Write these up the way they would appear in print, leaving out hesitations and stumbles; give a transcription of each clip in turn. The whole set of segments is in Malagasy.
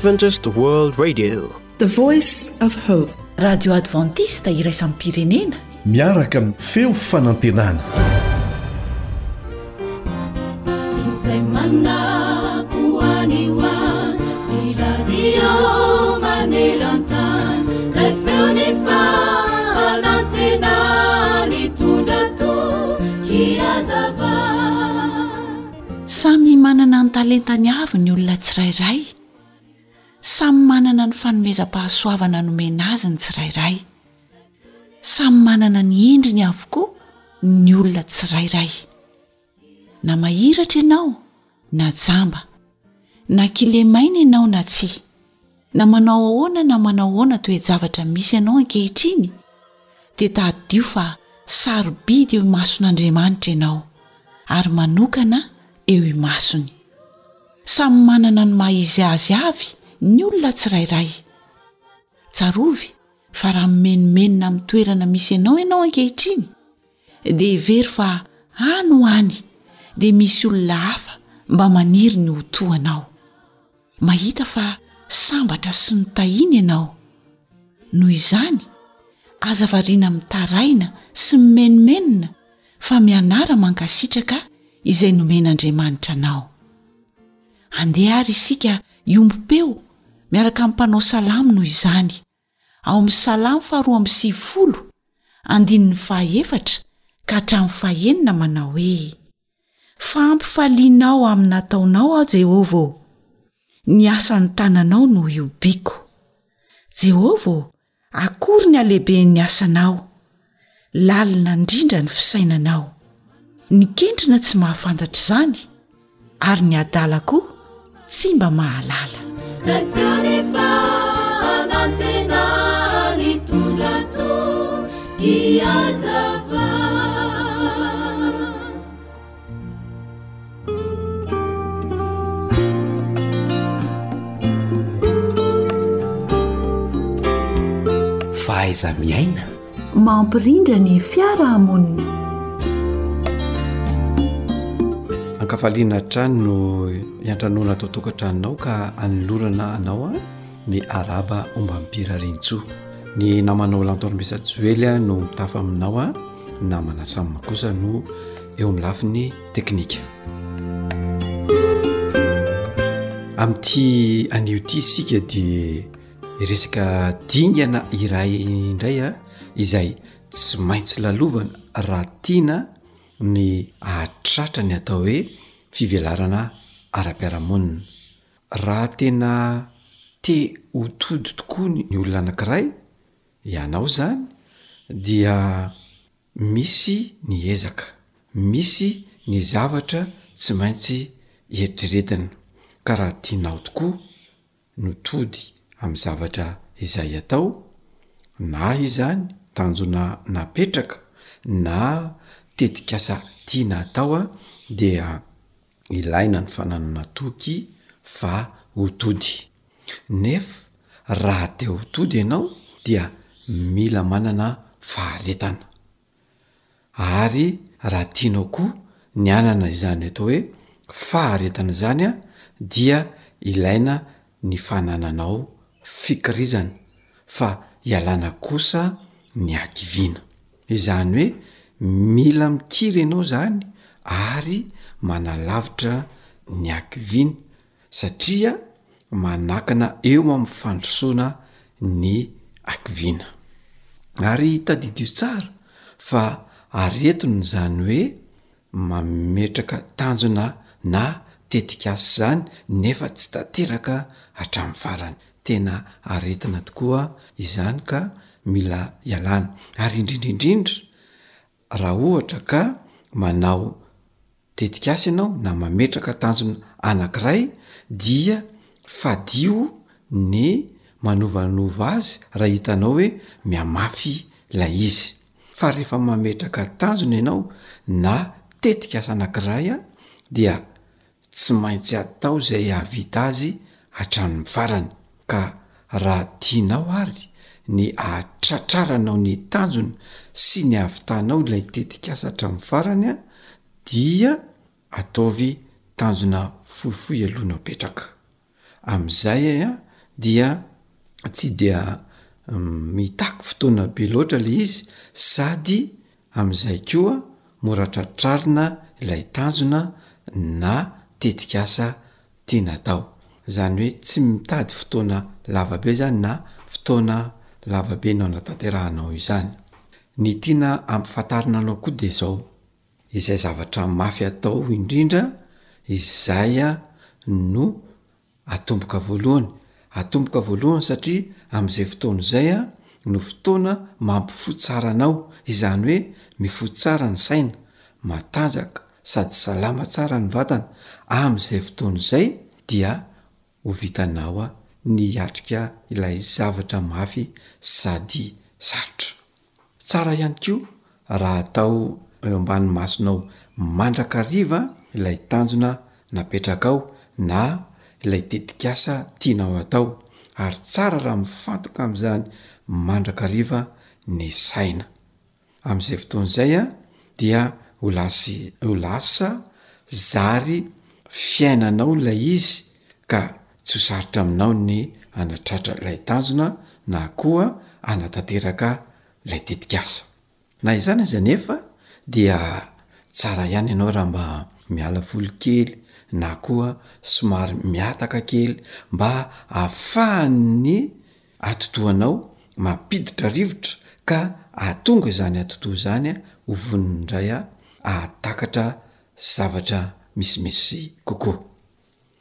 Adventist World Radio. The Voice of Hope. Radio Adventiste iraisam-pirenena. Miaraka amin'ny feo fanantenana. Izay manako any ho any, ny radio maneran-tany, ilay feon'ny fanantenana nitondra toky hazava. Samy manana ny talentany avy ny olona tsirairay. Samy manana ny fanomezam-pahasoavana nomena azy ny tsirairay. Samy manana ny endriny avokoa ny olona tsirairay. Na mahiratra ianao na jamba, na kilemaina ianao na tsia, na manao ahoana na manao ahoana toe-javatra misy anao ankehitriny, dia tadidio fa sarobidy eo imason'Andriamanitra ianao, ary manokana eo imasony. Samy manana ny maha izy azy avy ny olona tsirairay. Tsarovy fa raha mimenomenona amin'ny toerana misy anao ianao ankehitriny, dia hevero fa any ho any dia misy olona hafa mba maniry ny ho toa anao. Mahita fa sambatra sy notahiana ianao. Noho izany, aza variana mitaraina sy mimenomenona fa mianara mankasitraka izay nomen'Andriamanitra anao. Andeha àry isika hiombom-peo miaraka amin'ny mpanao salamo noho izany, ao amin'ny Salamo faharoa amby sivifolo, andininy fahaefatra ka hatramin'ny fahenina manao hoe, Fa ampifalianao amin'ny nataonao aho, Jehovah ô! Ny asan'ny tananao no ihobiako. Jehovah ô, akory ny halehiben'ny asanao! Lalina indrindra ny fisainanao. Ny kentrina tsy mahafantatra izany, ary ny adala koa tsy mba mahalala. Ilay feon'ny fanantenana nitondra toky hazava. Fahaiza-miaina. Mampirindra ny fiarahamonina. Ankafaliana hatrany no iantranoana ato an-tokantranonao ka anolorana anao ny arahaba ombam-pirariantsoa. Ny namanao Lantormesa Joely no mitafa aminao, ny namana Sam kosa no eo amin'ny lafiny teknika. Amin'ity anio ity isika dia Resaka dingana iray indray a, izay tsy maintsy lalovana raha tiana ny hahatratra ny atao hoe fivelarana ara-piarahamonina. Raha tena te ho tody tokoa ny olona anankiray, ianao izany, dia misy ny ezaka, misy ny zavatra tsy maintsy eritreretina, ka raha tianao tokoa no tody amin'ny zavatra izay atao, na izany tanjona napetraka na tetikasa tiana atao dia ilaina ny fananana toky fa ho tody. Nefa raha te ho tody ianao dia mila manana faharetana. Ary raha tianao koa ny hanana izany atao hoe faharetana izany dia ilaina ny fanananao fikirizana fa ialana kosa ny hakiviana. Izany hoe mila mikiry ianao izany ary manalavitra ny hakiviana satria manakana eo amin'ny fandrosoana ny hakiviana. Ary tadidio tsara fa aretina izany hoe mametraka tanjona na tetikasa izany nefa tsy tanteraka hatramin'ny farany. Tena aretina tokoa izany ka mila ialana. Ary indrindra indrindra raha ohatra ka manao tetikasa ianao na mametraka tanjona anankiray dia fadio ny manovanova azy raha hitanao hoe mihamafy ilay izy fa rehefa mametraka tanjona ianao na tetikasa anankiray dia tsy maintsy atao izay hahavita azy hatramin'ny farany ka raha tianao ary ny ahatratraranao ny tanjona sy ny hahavitanao ilay tetikasa hatramin'ny farany dia ataovy tanjona fohifohy aloha no apetraka. Amin'izay a. dia tsy dia mitaky fotoana be loatra le izy sady amin'izay koa mora tratrarina ilay tanjona na tetikasa tiana atao. Izany hoe tsy mitady fotoana lava be zany na fotoana lava be no anatanterahanao izany. Ny tiana ampifantarina anao koa de zao, izay zavatra mafy atao indrindra izay no atomboka voalohany, atomboka voalohany satria am'zay fotoana izay no fotoana mampifoha tsara anao, izany hoe mifoha tsara ny saina, matanjaka sady salama tsara ny vatana, am'zay fotoana izay dia ho vitanao ny hiatrika ilay zavatra mafy sady sarotra. Tsara ihany koa raha atao eo ambany masonao mandrakariva ilay tanjona napetrakao na ilay tetikasa tianao atao ary tsara raha mifantoka amin'izany mandrakariva ny saina. Amin'izay fotoana izay dia ho lasy ho lasa zary fiainanao ilay izy ka tsy ho sarotra aminao ny hanatratra ilay tanjona na koa hanatanteraka ilay tetikasa. Na izany aza anefa dia tsara ihany ianao raha mba miala voly kely na koa somary mihataka kely mba ahafahan'ny atidohanao mampiditra rivotra ka ahatonga izany atidoha izany ho vonona indray ahatakatra zavatra misimisy kokoa.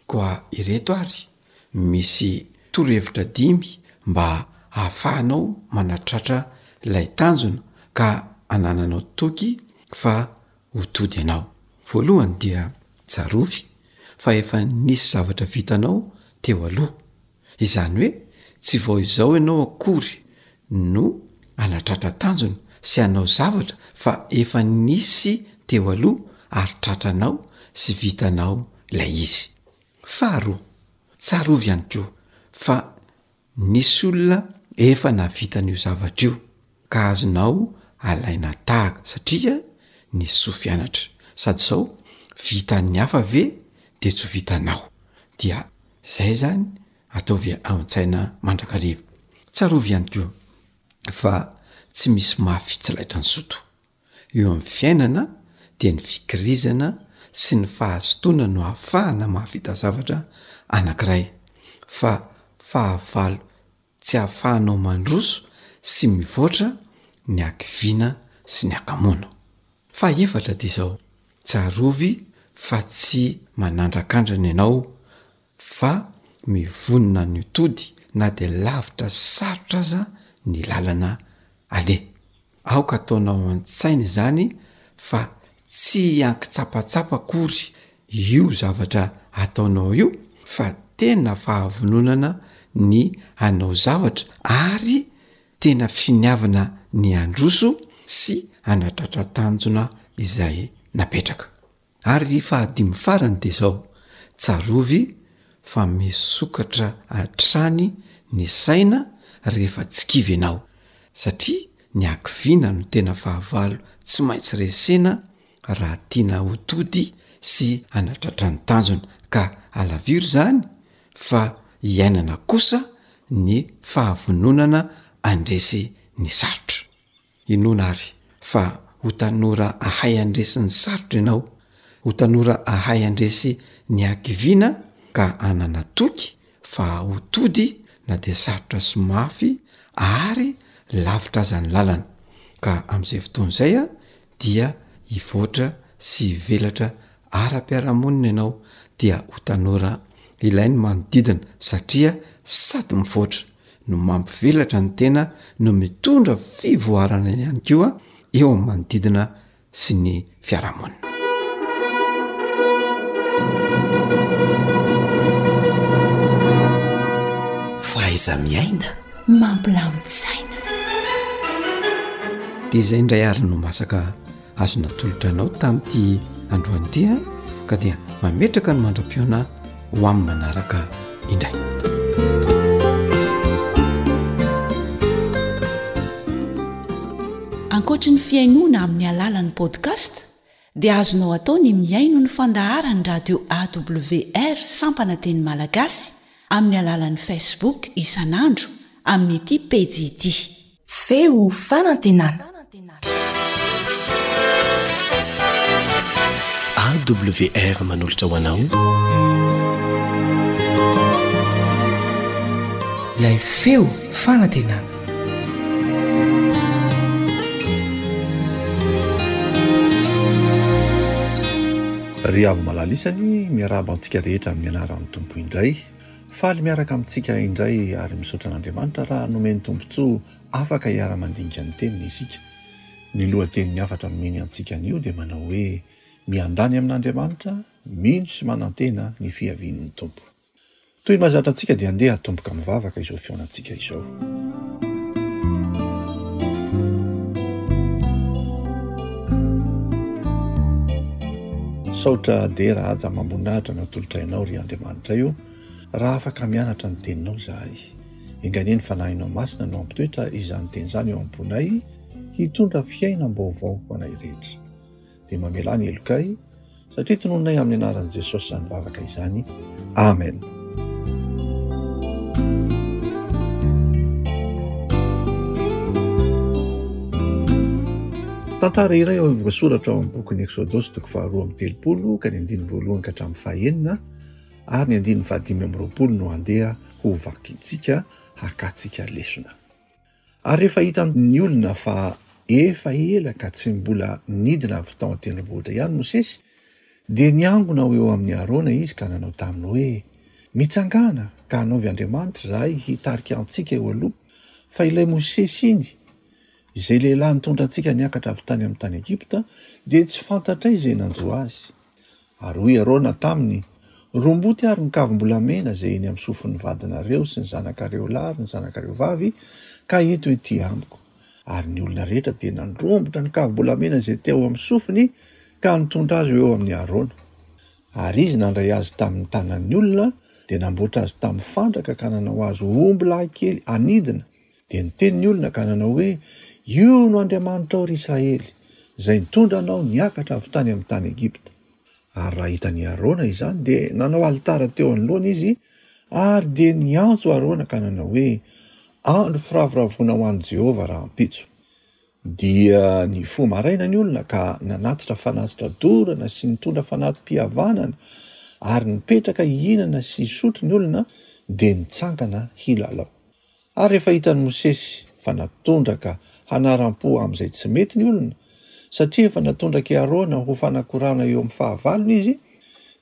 Koa ireto ary misy torohevitra dimy mba hahafahanao manatratra ilay tanjona ka anananao toky fa ho tody ianao. Voalohany dia tsarovy fa efa nisy zavatra vitanao teo aloha. Izany hoe tsy vao izao ianao akory no hanatratra tanjona sy hanao zavatra fa efa nisy teo aloha ary tratranao sy vitanao ilay izy. Faharoa, tsarovy ihany koa fa nisy olona efa nahavita an'io zavatra io ka azonao alaina tahaka satria nisy soa fianatra. Sady izao, vitan'ny hafa ve de tsy ho vitanao? Dia zay zany ataovy ao an-tsaina mandrakariva. Tsarovy ihany koa fa tsy misy mafy tsy laitran'ny zoto. Eo amin'ny fiainana dia ny fikirizana sy ny fahazotoana no ahafahana mahavita zavatra anankiray fa fahavalo tsy ahafahanao mandroso sy mivoatra ny hakiviana sy ny hakamoana. Fahefatra dia izao, tsarovy fa tsy manandrakandrana ianao fa mivonona ny ho tody na dia lavitra sy sarotra aza ny lalana aleha. Aoka ataonao an-tsaina izany fa tsy ankitsapatsapa akory io zavatra ataonao io fa tena fahavononana ny hanao zavatra ary tena finiavana ny handroso sy hanatratra tanjona izay napetraka. Ary fahadimy farany dia izao, tsarovy fa misokatra hatrany ny saina rehefa tsy kivy ianao, satria ny hakiviana no tena fahavalo tsy maintsy resena raha tiana ho tody sy hanatratra ny tanjona, ka alaviro izany fa iainana kosa ny fahavononana handresy ny sarotra. Inoana àry fa ho tanora hahay handresy ny sarotra ianao, ho tanora hahay handresy ny hakiviana ka hanana toky fa ho tody na dia sarotra sy mafy ary lavitra aza ny lalana. Ka amin'izay fotoana izay dia hivoatra sy hivelatra ara-piarahamonina ianao dia ho tanora ilain'ny manodidina satria sady mivoatra no mampivelatra ny tena no mitondra fivoarana ihany koa eo amin'ny manodidina sy ny fiarahamonina. Fahaiza-miaina. Mampilamin-tsaina. Dia izay indray ary no masaka azo natolotra anao tamin'ity androany ity a ka dia mametraka ny mandra-pihaona ho amin'ny manaraka indray. Ankoatry ny fihainoana amin'ny alalan'ny podcast dia azonao atao ny mihaino ny fandaharan'ny radio AWR sampana teny malagasy. amin'ny alalan'ny Facebook isan'andro amin'ity pejy ity. Feo fanantenana. AWR manolotra ho anao. Ilay feo fanantenana. Ry hava-malala isany, miarahaba antsika rehetra amin'ny anaran'ny Tompo indray. Faly miaraka amintsika indray ary misaotra an'Andriamanitra raha nomeny tombontsoa afaka hiara-mandinika ny Teniny isika. Ny lohatenin'ny hafatra nomeny antsika anio dia manao hoe, Miandany amin'Andriamanitra, mino sy manantena ny fiavian'ny Tompo. Toy ny mahazatra antsika dia andeha hatomboka mivavaka izao fihaonantsika izao. Saotra, dera, haja amam-boninahitra no atolotray Anao, ry Andriamanitray o, raha afaka mianatra ny Teninao izahay. Enga anie ny Fanahinao Masina no hampitoetra izany Teny izany eo am-ponay, hitondra fiainam-baovao ho anay rehetra. Dia mamelà ny helokay, satria tononinay amin'ny anaran'i Jesosy izany vavaka izany. Amen. Tantara iray ao voasoratra ao amin'ny bokin'ny Eksodosy toko faharoa amby 30 ka ny andininy voalohany ka hatramin'ny fahenina ary ny andininy fahadimy amby 20 no andeha ho vakintsika hakantsika lesona. Ary rehefa hitan' ny olona fa efa ela ka tsy mbola nidina avy tao an-tendrombohitra ihany Mosesy, dia niangona ho eo amin' i Arona izy ka nanao taminy hoe, Mitsangàna, ka hanaovy andriamanitra izahay hitarika antsika eo aloha, fa ilay Mosesy iny, izay lehilahy nitondra antsika niakatra avy tany amin' ny tany Egypta, dia tsy fantatray izay nanjo azy. Ary hoy Arona taminy, Romboty ary ny kavim-bolamena izay eny amin'ny sofin'ny vadinareo sy ny zanakareo lahy ary ny zanakareo vavy, ka ento ety amiko. Ary ny olona rehetra dia nandrombotra ny kavim-bolamena izay teo amin'ny sofiny ka nitondra azy ho eo amin'i Arona. Ary izy nandray azy tamin'ny tanan'ny olona, dia namboatra azy tamin'ny fandraka ka nanao azy ho ombilahy kely anidina, Dia niteny ny olona ka nanao hoe, Io no Andriamanitrao, ry Israely, izay nitondra anao niakatra avy tany amin'ny tany Egypta. Ary raha hitan'i Arona izany, dia nanao alitara teo anoloany izy, ary dia niantso Arona ka nanao hoe, Andro firavoravoana ho an'i Jehovah rahampitso. Dia nifoha maraina ny olona ka nanatitra fanatitra dorana sy nitondra fanati-pihavanana, ary nipetraka hihinana sy hisotro ny olona, dia nitsangana hilalao. Ary rehefa hitan'i Mosesy fa natondraka hanaram-po amin'izay tsy mety ny olona, satria efa natondrak'i Arona ho fanakorana eo amin'ny fahavalony izy,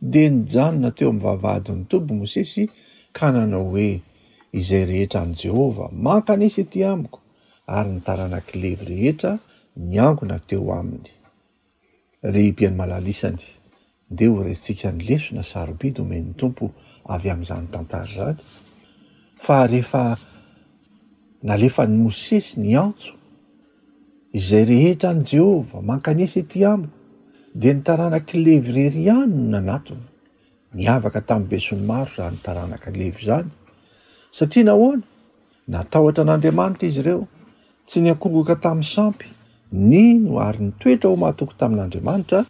dia nijanona teo amin'ny vavahadin'ny toby Mosesy ka nanao hoe, Izay rehetra an'i Jehovah, mankanesa ety amiko! Ary ny taranak'i Levy rehetra niangona teo aminy. Ry mpihaino malala isany, ndeha ho raisintsika ny lesona sarobidy omen'ny Tompo avy amin'izany tantara izany, fa rehefa nalefan'i Mosesy ny antso, Izay rehetra an'i Jehovah, mankanesa ety amiko, dia ny taranak'i Levy irery ihany no nanatona. Niavaka tamin'ny besinimaro izany taranaka Levy izany. Satria nahoana? Natahotra an'Andriamanitra izy ireo, tsy niankohoka tamin'ny sampy, nino ary nitoetra ho mahatoky tamin'Andriamanitra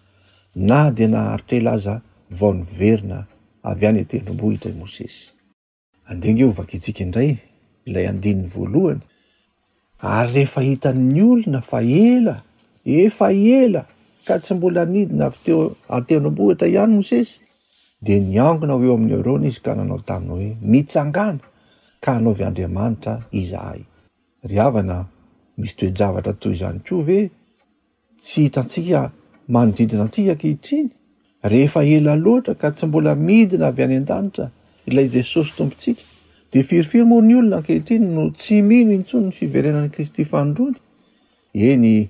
na dia naharitra ela aza vao niverina avy any an-tendrombohitra i Mosesy. Andeha ange hovakintsika indray ilay andininy voalohany, Ary rehefa hitan'ny olona fa ela, efa ela, ka tsy mbola nidina avy teo an-tendrombohitra ihany Mosesy, dia niangona ho eo amin'i Arona izy ka nanao taminy hoe, Mitsangàna, ka hanaovy andriamanitra izahay. Ry havana, misy toe-javatra toy izany koa ve tsy hitantsika manodidina antsika ankehitriny? Rehefa ela loatra ka tsy mbola midina avy any an-danitra ilay Jesosy Tompontsika, dia firifiry moa ny olona ankehitriny no tsy mino intsony ny fiverenan'i Kristy fanindroany? Eny,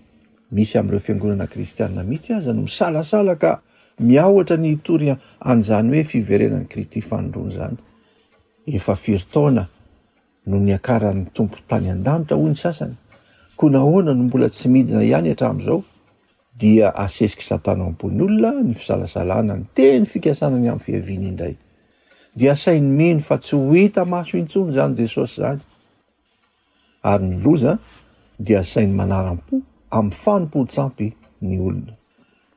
misy amin'ireo fiangonana kristiana mihitsy aza no misalasala ka miahotra ny hitory an'izany hoe fiverenan'i Kristy fanindroany izany. Efa firy taona no niakaran'ny Tompo tany an-danitra hoy ny sasany, koa nahoana no mbola tsy midina ihany hatramin'izao? Dia asesik'i Satana ao am-pon'ny olona ny fisalasalana ny teny fikasana ny amin'ny fiaviany indray. Dia asainy mino fa tsy ho hita maso intsony izany Jesosy izany. Ary ny loza dia asainy manaram-po amin'ny fanompoan-tsampy ny olona.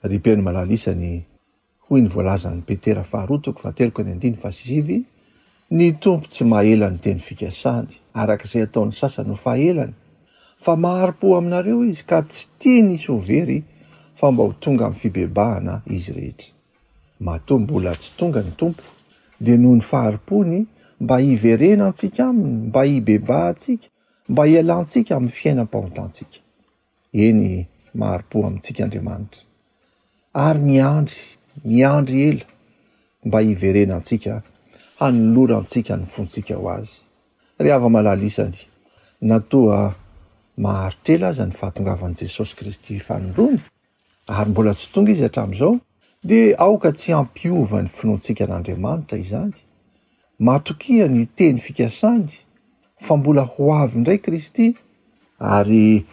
Ry mpihaino malala isany, Hoy ny voalazan'i Petera faharoa toko fahatelo ka ny andininy fahasivy. Ny Tompo tsy mahela ny teny fikasany, araka izay ataon'ny sasany ho fahelany, fa mahari-po aminareo Izy, ka tsy tiany hisy ho very, fa mba ho tonga amin'ny fibebahana izy rehetra. Matoa mbola tsy tonga ny Tompo, dia noho ny fahari-pony, mba hiverenantsika Aminy, mba hibebahantsika, mba hialantsika amin'ny fiainam-pahotantsika. Eny, mahari-po amintsika Andriamanitra, ary miandry, miandry ela mba hiverenantsika, hanolorantsika ny fontsika ho Azy. Ry hava-malala isany, na toa maharitra ela aza ny fahatongavan'i Jesosy Kristy fanindroany, ary mbola tsy tonga Izy hatramin'izao, dia aoka tsy hampiova ny finoantsika an'Andriamanitra izany. Matokia ny teny fikasany fa mbola ho avy indray Kristy, ary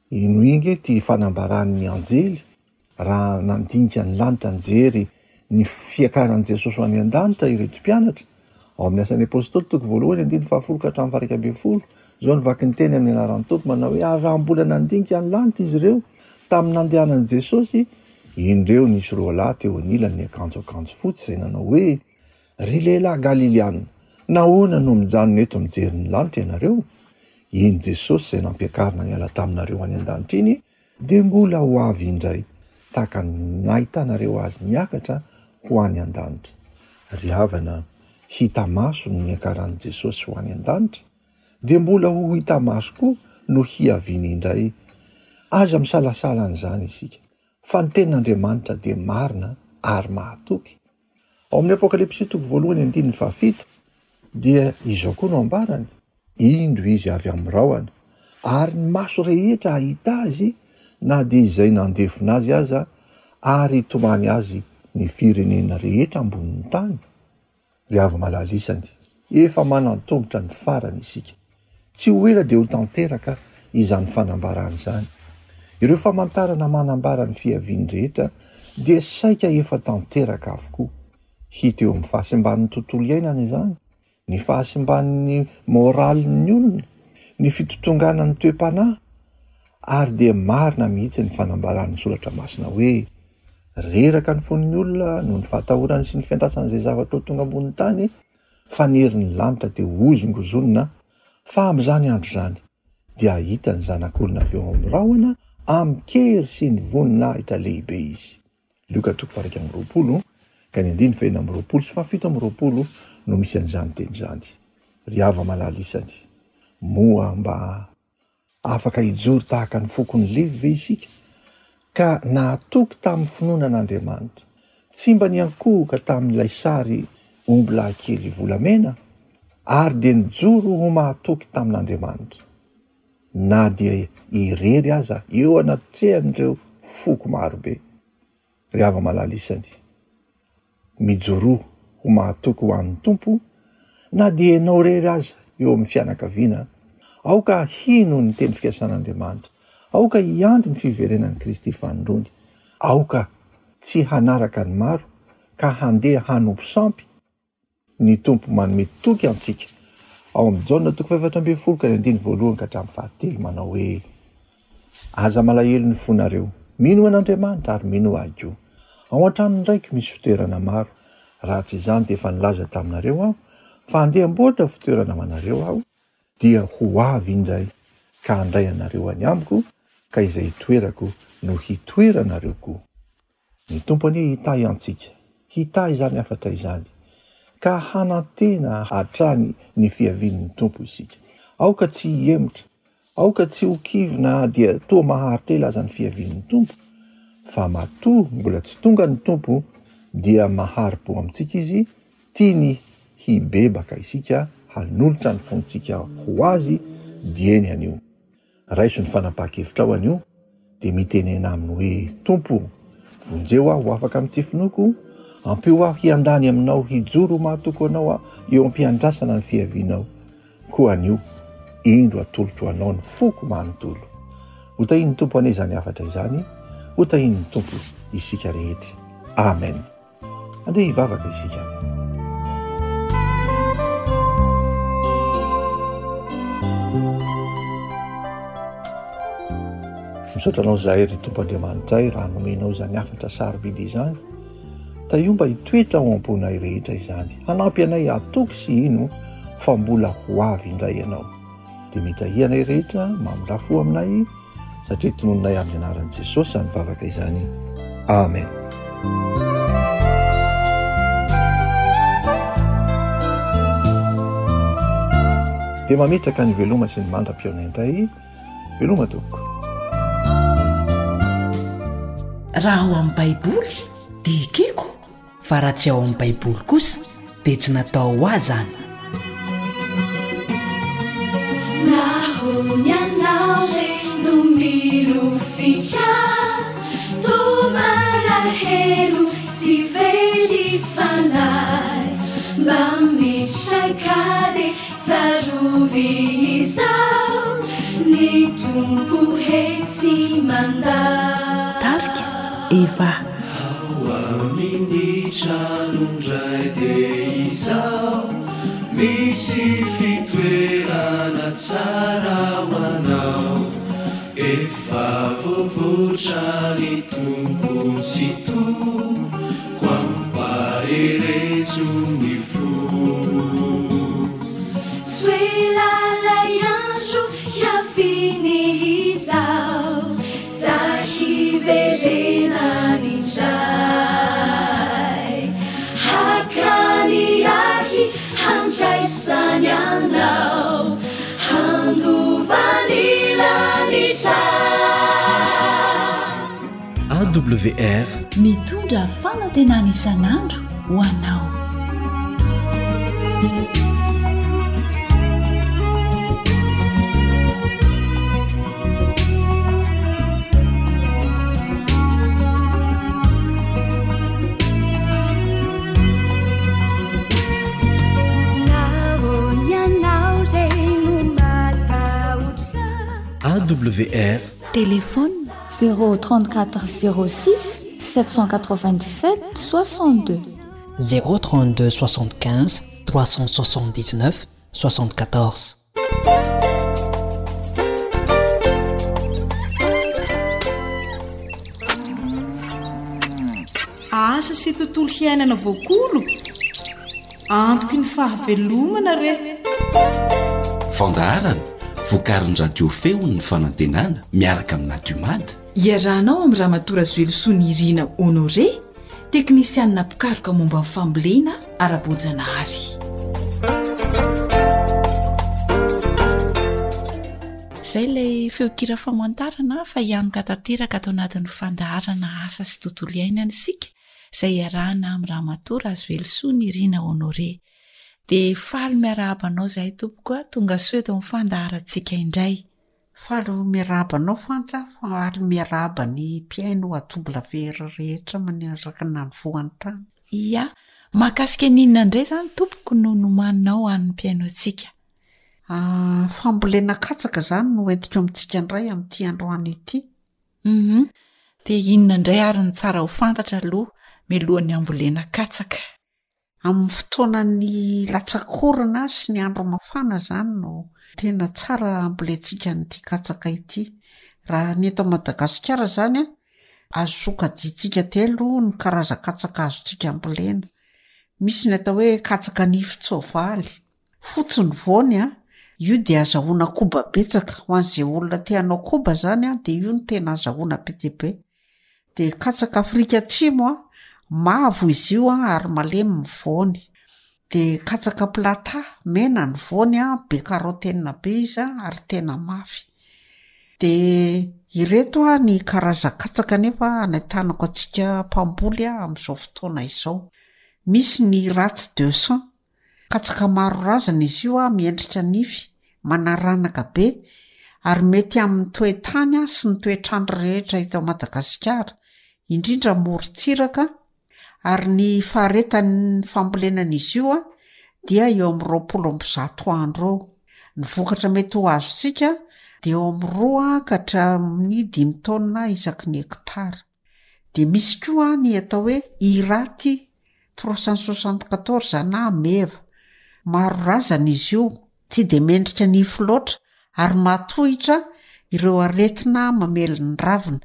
henoy ange ity fanambaran'ny anjely raha nandinika ny lanitra nijery ny fiakaran'i Jesosy ho any an-danitra ireto mpianatra, ao amin'ny Asan'ny Apostoly toko voalohany andininy fahafolo ka hatramin'ny faha-11. Izao no vaky ny teny amin'ny anaran'ny Tompo manao hoe, Ary raha mbola nandinika ny lanitra izy ireo tamin'ny nandehanan'i Jesosy, indreo nisy roalahy teo anilany niakanjo akanjo fotsy izay nanao hoe, Ry lehilahy Galiliana, nahoana no mijanona eto mijery ny lanitra ianareo? Iny Jesosy izay nampiakarina niala taminareo any an-danitra iny dia mbola ho avy indray, tahaka ny nahitanareo azy niakatra ho any an-danitra. Ry havana, hita maso ny niakaran'i Jesosy ho any an-danitra, dia mbola ho hita maso koa no hiaviany indray. Aza misalasala an'izany isika, fa ny tenin'Andriamanitra dia marina ary mahatoky. Ao amin'ny Apokalypsy toko voalohany andininy fahafito dia izao koa no ambarany, Indro izy avy amin'ny rahona, ary ny maso rehetra hahita azy na dia izay nandefona azy aza, ary hitomany azy ny firenena rehetra ambonin'ny tany. Ry hava-malala isany, efa manan-tongotra ny farany isika. Tsy ho ela dia ho tanteraka izany fanambarana izany. Ireo famantarana manambara ny fiaviany rehetra dia saika efa tanteraka avokoa. Hita eo amin'ny fahasimban'ny tontolo iainana izany, ny fahasimban'ny moralin'ny olona, ny fitotonganan'ny toe-panahy, ary dia marina mihitsy ny fanambaran'ny Soratra Masina hoe, Reraka ny fon'ny olona noho ny fahatahorany sy ny fiandrasany izay zavatra ho tonga ambonin'ny tany, fa ny herin'ny lanitra dia hozongozonina, fa amin'izany andro izany dia hahita ny Zanak'olona avy eo amin'ny rahona amin-kery sy ny voninahitra lehibe izy. Lioka toko faha-21 ka ny andininy faha-26 sy faha-27 no misy an'izany teny izany. Ry hava-malala isany, moa mba Afaka hijoro tahaka ny fokon'i Levy ve isika, ka nahatoky tamin'ny finoana an'Andriamanitra, tsy mba niankohoka tamin'ilay sary ombilahy kely volamena, ary dia nijoro ho mahatoky tamin'Andriamanitra, na dia irery aza eo anatrehan'ireo foko marobe? Ry hava-malala isany, Mijoroa ho mahatoky ho an'ny Tompo na dia ianao irery aza eo amin'ny fianakaviana. Aoka hino ny teny fikasan'Andriamanitra. Aoka hiandry ny fiverenan'i Kristy fanindroany. Aoka tsy hanaraka ny maro ka handeha hanompo sampy. Ny Tompo manome toky antsika ao amin'ny Jaona toko faha-14 ka ny andininy voalohany ka hatramin'ny fahatelo manao hoe, Aza malahelo ny fonareo, minoa an'Andriamanitra ary minoa Ahy koa. Ao an-tranon'ny Raiko misy fitoerana maro, raha tsy izany dia efa nilaza taminareo Aho fa handeha hamboatra fitoerana ho anareo Aho, dia ho avy indray ka handray anareo any Amiko, ka izay itoerako no hitoeranareo koa. Ny Tompo anie hitahy antsika, hitahy izany hafatra izany, ka hanantena hatrany ny fiavian'ny Tompo isika. Aoka tsy hihemotra, aoka tsy ho kivy na dia toa maharitra ela aza ny fiavian'ny Tompo, fa matoa mbola tsy tonga ny Tompo dia mahari-po amintsika Izy, tiany hibebaka isika, hanolotra ny fontsika ho Azy dieny anio. Raiso ny fanapahan-kevitrao anio, dia mitenena aminy hoe, Tompo o, vonjeo aho ho afaka amin'ny tsy finoako, ampio aho hiandany aminao, hijoro ho mahatoky anao aho eo am-piandrasana ny fiavianao. Koa anio, indro atolotro anao ny foko manontolo. Ho tahian'ny Tompo anie izany hafatra izany, ho tahian'ny Tompo isika rehetra. Amen. Andeha hivavaka isika. Misaotra anao izahay ry Tompo Andriamanitray raha nomenao izany hafatra sarobidy izany. Tahio mba hitoetra ao am-ponay rehetra izany, hanampy anay hatoky sy hino fa mbola ho avy indray Ianao. Dia mitahia anay rehetra, mamindrà fo aminay, satria tononinay amin'ny anaran'i Jesosy izany vavaka izany. Amen. Dia mametraka ny veloma sy ny mandra-pihaona indray. Veloma tompoko. Raha ao amin'ny Baiboly dia ekeko. Fa raha tsy ao amin'ny Baiboly kosa dia tsy natao ho ahy izany. Nahoany ianao re no milofika Toa malahelo sy very fanahy Mba mitraka dia Tsarovy izao, ny Tompo he tsy mandà. Tarika, Eva. Ao amin'ny tranon-dRay dia izao, misy fitoerana tsara ho anao, efa voavotra ny Tompo Tsitoha. Koa ampaherezo ny fo. Soelalay andro hiaviany izao, Za hiverenany indray. Hakany ahy handraisany anao, Handova ny lanitra. AWR. Mitondra fanantenana isan'andro ho anao. AWR. Téléphone 034 06 797 62. 032 75 379 74. Asa sy tontolo hiainana voakolo antoky ny fahavelomana re. Fandaharana vokarin'ny Radio Feon'ny Fanantenana miaraka amin'ny Nadiomad. Iarahanao amin'i Ramatoa Razoelosoa Nirina Honoré, teknisianina mpikaroka momba ny fambolena ara-boajanahary. Izay ilay feon-kira famantarana fa hianoka tanteraka ato anatin'ny fandaharana asa sy tontolo iainana isika izay iarahana amin'i Ramatoa Razoelosoa Nirina Honoré. Dia faly miarahaba anao izahay tompoko a, tonga soa eto amin'ny fandaharantsika indray. Faly miarahaba anao Fanja, faly miarahaba ny mpihaino AWR rehetra manerana ny voan-tany. Ia, mahakasika ny inona indray izany tompoko no nomaninao ho an'ny mpihaino antsika? Ah, fambolena katsaka izany no entiko amintsika indray amin'ity androany ity. Hum, dia inona indray ary ny tsara ho fantatra aloha mialohan'ny hambolena katsaka? Amin'ny fotoanan'ny latsak'orana sy ny andro mafana izany no tena tsara hambolentsika an'ity katsaka ity. Raha ny eto Madagasikara izany an, azo sokajiantsika telo ny karazan-katsaka azontsika ambolena. Misy ny atao hoe katsaka nifin-tsoavaly, fotsy ny voany an, io dia azahoana koba betsaka, ho an'izay olona te hanao koba izany an, dia io no tena azahoana be dia be. De katsaka Afrika Atsimo a, mavo izy io a ary malemy ny voany. De katsaka plata, mena ny voany a, be karotenina be izy a ary tena mafy. De ireto a ny karazan-katsaka nefa anentanako antsika mpamboly a amin'izao fotoana izao. Misy ny ratsy deux cents, Katsaka maro razana izy io miendrika nify, manaranaka be, ary mety amin'ny toe-tany sy ny toetr'andro rehetra eto Madagasikara, indrindra morontsiraka, ary ny faharetan'ny fambolenan'izy io dia eo amin'ny 120 andro eo. Ny vokatra mety ho azontsika dia eo amin'ny roa ka hatramin'ny dimy taonina isaky ny hektara. Dia misy koa ny atao hoe Irati 374 na meva. Maro razana izy io, tsy dia mendrika nify loatra ary mahatohitra ireo aretina mamely ny ravina.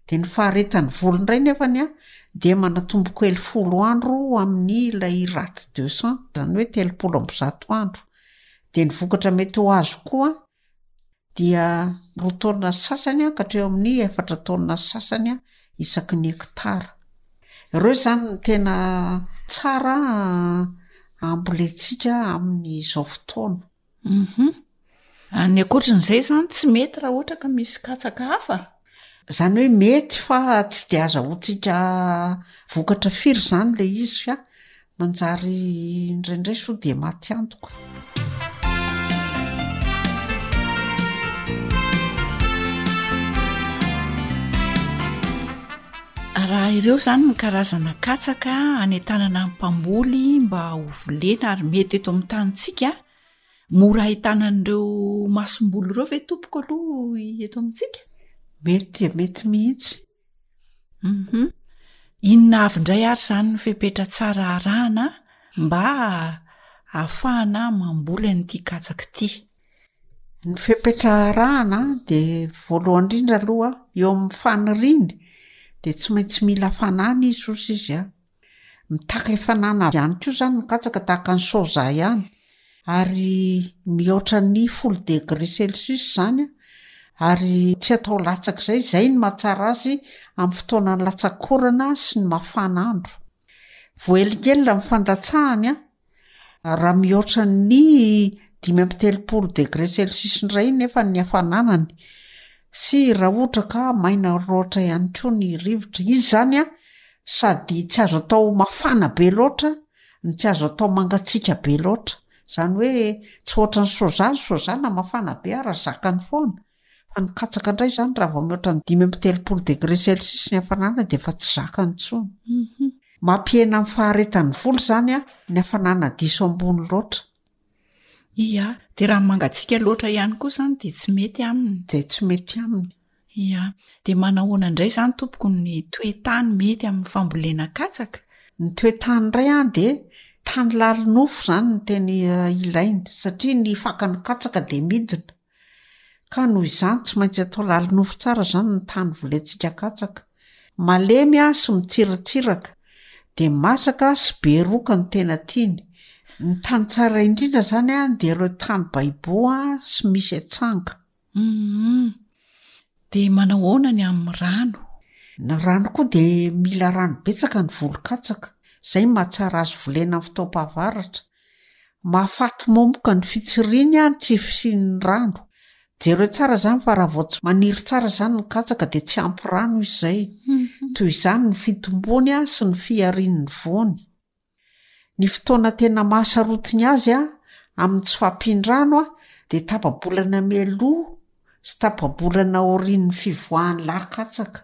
Dia ny faharetan'ny voly indray nefany an, dia manatombo kely folo andro amin'ny ilay rate 200, izany hoe 130 andro. Dia ny vokatra mety ho azo koa dia roa taonina sy sasany ka hatreo amin'ny efatra taonina sy sasany isaky ny hektara. Ireo izany no tena tsara ambolentsika amin'izao fotoana. Uhum. Ny ankoatran'izay izany tsy mety raha ohatra ka misy katsaka hafa? Izany hoe mety fa tsy de azahoantsika vokatra firy izany ilay izy fa manjary indraindray sao dia maty antoka. Raha ireo izany ny karazana katsaka anentanana ny mpamboly mba ho volena ary mety eto amin'ny tanintsika, mora ahitana an'ireo masomboly ireo ve tompoko aloha eto amintsika? Mety dia mety mihitsy. Uhum. Inona avy indray ary izany ny fepetra tsara arahana mba ahafahana mamboly an'ity katsaka ity? Ny fepetra arahana de voalohany indrindra aloha eo amin'ny faniriany de tsy maintsy mila hafanana izy ozy izy a. Mitaky hafanana ihany koa zany ny katsaka tahaka ny soja ihany ary mihoatra ny folo degré celsius zany a, ary tsy atao latsak'izay, zay no mahatsara azy amin'ny fotoanan'ny latsak'orana sy ny mafana andro. Voahelingelina ny fandatsahany a. Raha mihoatra ny 35 degré celsius indray nefa ny hafananany sy raha ohatra ka maina loatra ihany koa ny rivotra. Izy izany an, sady tsy azo atao mafana be loatra no tsy azo atao mangatsiaka be loatra. Izany hoe tsy ohatran'ny soja, ny soja na mafana be ara zakany foana. Fa ny katsaka indray izany raha vao mihoatra ny 35 degré celsius ny hafanana dia efa tsy zakany intsony. Mhm. Mampihena ny faharetan'ny volo izany a, ny hafanana diso ambony loatra. Ia, dia raha mangatsiaka loatra ihany koa izany dia tsy mety aminy. Dia tsy mety aminy. Ia, dia manahoana indray izany tompoko ny toe-tany mety amin'ny fambolena katsaka? Ny toe-tany indray an dia tany lalinofo izany no tena ilainy satria ny fakan'ny katsaka dia midina. Ka noho izany tsy maintsy atao lalinofo tsara izany ny tany volentsika katsaka. Malemy sy mitsiratsiraka, dia masaka sy be roka no tena tiany. Ny tany tsara indrindra izany dia ireo tany baibo sy misy atsanga. Humm. Dia manahoana ny amin'ny rano? Ny rano koa dia mila rano betsaka ny volon-katsaka. Izay no mahatsara azy volena amin'ny fotoam-pahavaratra. Mahafaty momoka ny fitsiriany ny tsy fisian'ny rano. Jereo tsara izany fa raha vao tsy maniry tsara izany ny katsaka dia tsy ampy rano izy izay. Toy izany ny fitombony sy ny fiharian'ny voany. Ny fotoana tena mahasarotiny azy amin'ny tsy fahampian-drano dia tapa-bolana mialoha sy tapa-bolana aorian'ny fivoahan'ny lahy-katsaka.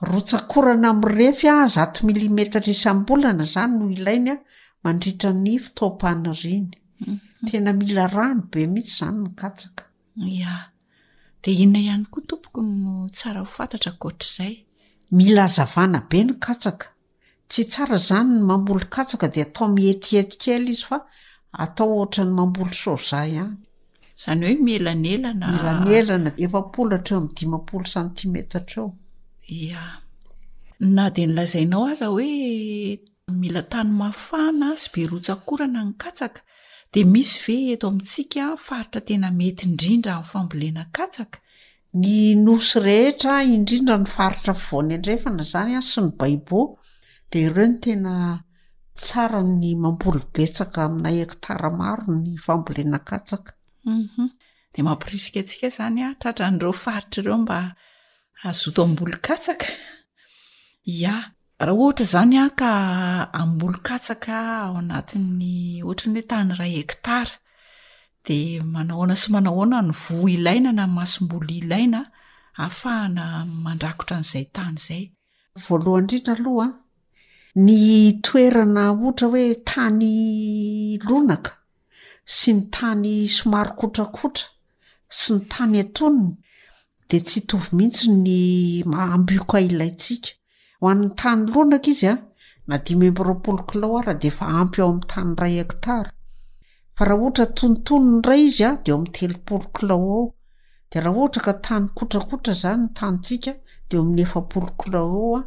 Rotsak'orana mirefy zato milimetatra isam-bolana izany no ilainy mandritra ny fotoam-paniriany. Tena mila rano be mihitsy izany ny katsaka. Ya. Dia inona ihany koa tompoko no tsara ho fantatra ankoatr'izay? Mila hazavana be ny katsaka. Tsy tsara izany ny mamboly katsaka dia atao mietiety kely izy fa atao ohatran'ny mamboly soja ihany. Izany hoe mielanelana. Mielanelana 40 hatreo amin'ny 50 santimetatra eo. Ia. Na dia nolazainao aza hoe mila tany mafana sy be rotsak'orana ny katsaka dia misy ve eto amintsika faritra tena mety indrindra amin'ny fambolena katsaka? Ny nosy rehetra, indrindra ny faritra afovoany andrefana izany an, sy ny baibo, dia ireo no tena tsara ny mamboly betsaka amina hektara maro ny fambolena katsaka. Hum dia mampirisika antsika izany an, tratran'ireo faritra ireo mba hazoto hamboly katsaka. Ya. Raha ohatra izany aho ka hamboly katsaka ao anatin'ny ohatran'ny hoe tany iray hektara, dia manahoana sy manahoana ny voa ilaina na masomboly ilaina ahafahana mandrakotra an'izay tany izay? Voalohany indrindra aloha an, ny toerana ohatra hoe tany lonaka sy ny tany somary kotrakotra sy ny tany antonony dia tsy hitovy mihitsy ny maha ambioka ilaintsika. Ho an'ny tany lonaka izy an, na 25 kilao ara dia efa ampy eo amin'ny tany iray hektara. Fa raha ohatra antonontonony indray izy an, dia eo amin'ny 30 kilao eo. De raha ohatra ka tany kotrakotra zany ny tanintsika de eo amin'ny 40 kilao eo a,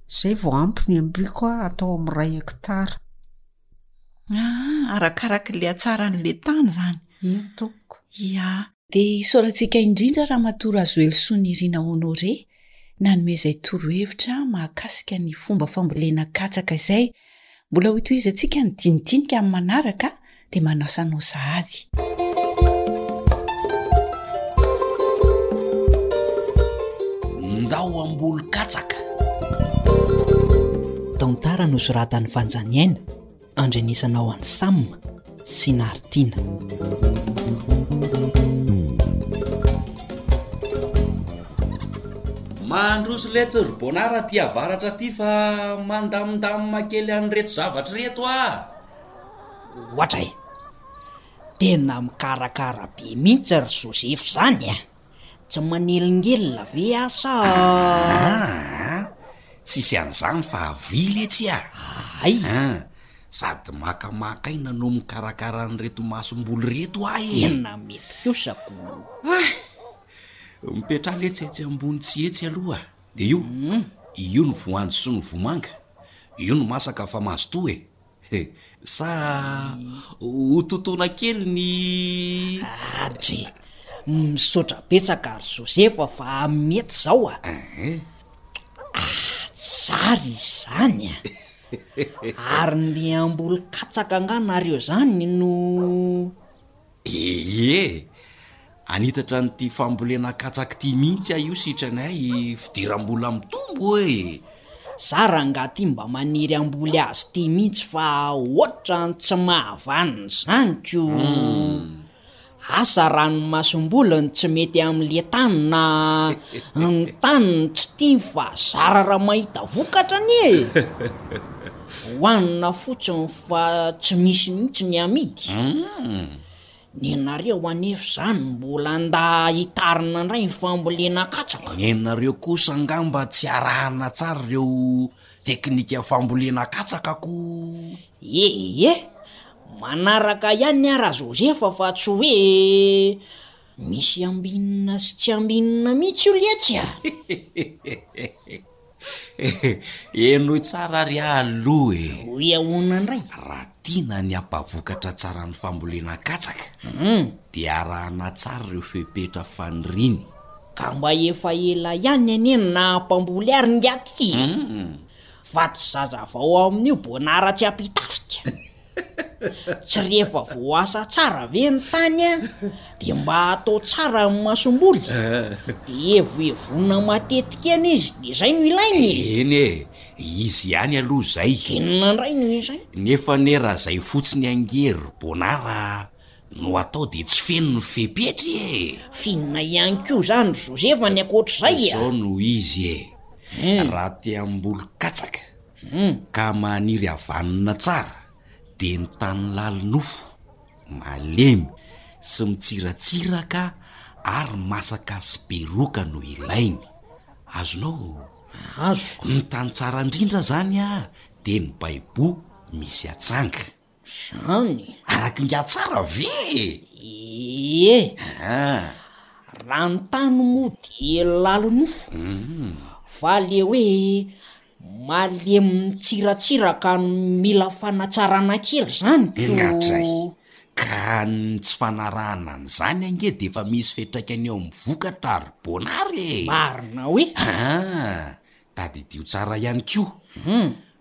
zay vao ampy ny ambiko a atao amin'ny iray hektara. Ah, arakarak'le hatsaran'le tany zany. Eny tompoko. Ia. Dia isaorantsika indrindra Ramatoa Razoelisoa Nirina Honoré nanome izay torohevitra mahakasika ny fomba fambolena katsaka izay. Mbola hotohizantsika ny dinidinika amin'ny manaraka dia manasa anao sahady. Ndao hamboly katsaka. Tantara nosoratan'i Fanjaniaina, andrenesanao an'i Sam sy Naritiana. Mandroso letsy ry Bonard aty avaratra aty fa mandamindamina kely an'ireto zavatra ireto ah! Oatra e! Tena mikarakara be mihitsy ry Joseph zany a! Tsy manelingelina ve aho sa. Aa! Tsisy an'izany fa avia letsy a! Hay! An! Sady makamaka aina no mikarakara an'ireto masomboly ireto aho e! Tena mety kosa ko! Hay! Mipetraha letsy etsy ambony tsy etsy aloha de io, io ny voanjo sy ny vomanga, io no masaka fa mazotoa e! Sa ho totoina kely ny. Adry! Misaotra betsaka ry Josefa fa mety izao a! Ah, tsara izany a! Ary ndeha hamboly katsaka angaha nareo izany no. Ie, hanitatra an'ity fambolena katsaka ity mihitsy aho io sitranay fidiram-bola mitombo e! Za rangaha ty mba maniry hamboly azy ity mihitsy fa ohatran'ny tsy mahavanona izany ko! Asa raha ny masomboly no tsy mety amin'le tany na ny tany no tsy tiany fa zara raha mahita vokatra anie e! Hohanina fotsiny fa tsy misy mihitsy ny amidy. Nenareo anefa izany mbola nda hitarina indray ny fambolena katsaka. Nenareo kosa angamba tsy arahana tsara ireo teknika fambolena katsaka ko. Ee, manaraka ihany aho Rajosefa fa tsy hoe misy ambinina sy tsy ambinina mihitsy io letsy a! Henoy tsara ary aloha e! Hoe ahoana indray? Raha tiana ny hampavokatra tsara ny fambolena katsaka dia arahana tsara ireo fepetra faniriany. Ka mba efa ela ihany anie no naha-mpamboly ary ingahy ty e! Fa tsy zaza vao amin'io bonara tsy ampitafika. Tsy rehefa voaasa tsara ve ny tany an, de mba atao tsara ny masomboly, de evoevoina matetika eny izy de zay no ilainy e! Eny e, izy ihany aloha zay. Inona indray no izay? Nefa anie raha zay fotsiny ange ry Bonara no atao de tsy feno ny fepetra e! F'inona ihany koa zany ry Josefa ny ankoatr'izay a? Zao no izy e, raha te hamboly katsaka Ka maniry havanona tsara dia ny tany lalinofo, malemy sy mitsiratsiraka ary masaka sy be roka no ilainy. Azonao? Azoko. Ny tany tsara indrindra zany dia ny baiboho misy atsanga. Zany? Araky ingahy tsara ve e? Ie. Aa. Raha ny tany moa dia lalinofo, fa le hoe malemy mitsiratsiraka no mila fanatsarana kely zany ko. Ingahy Ka ny tsy fanarahana an'izany ange dia efa misy fiantraikany eo amin'ny vokatra ry Bonary e! Marina hoe? Aa, tadidio tsara ihany koa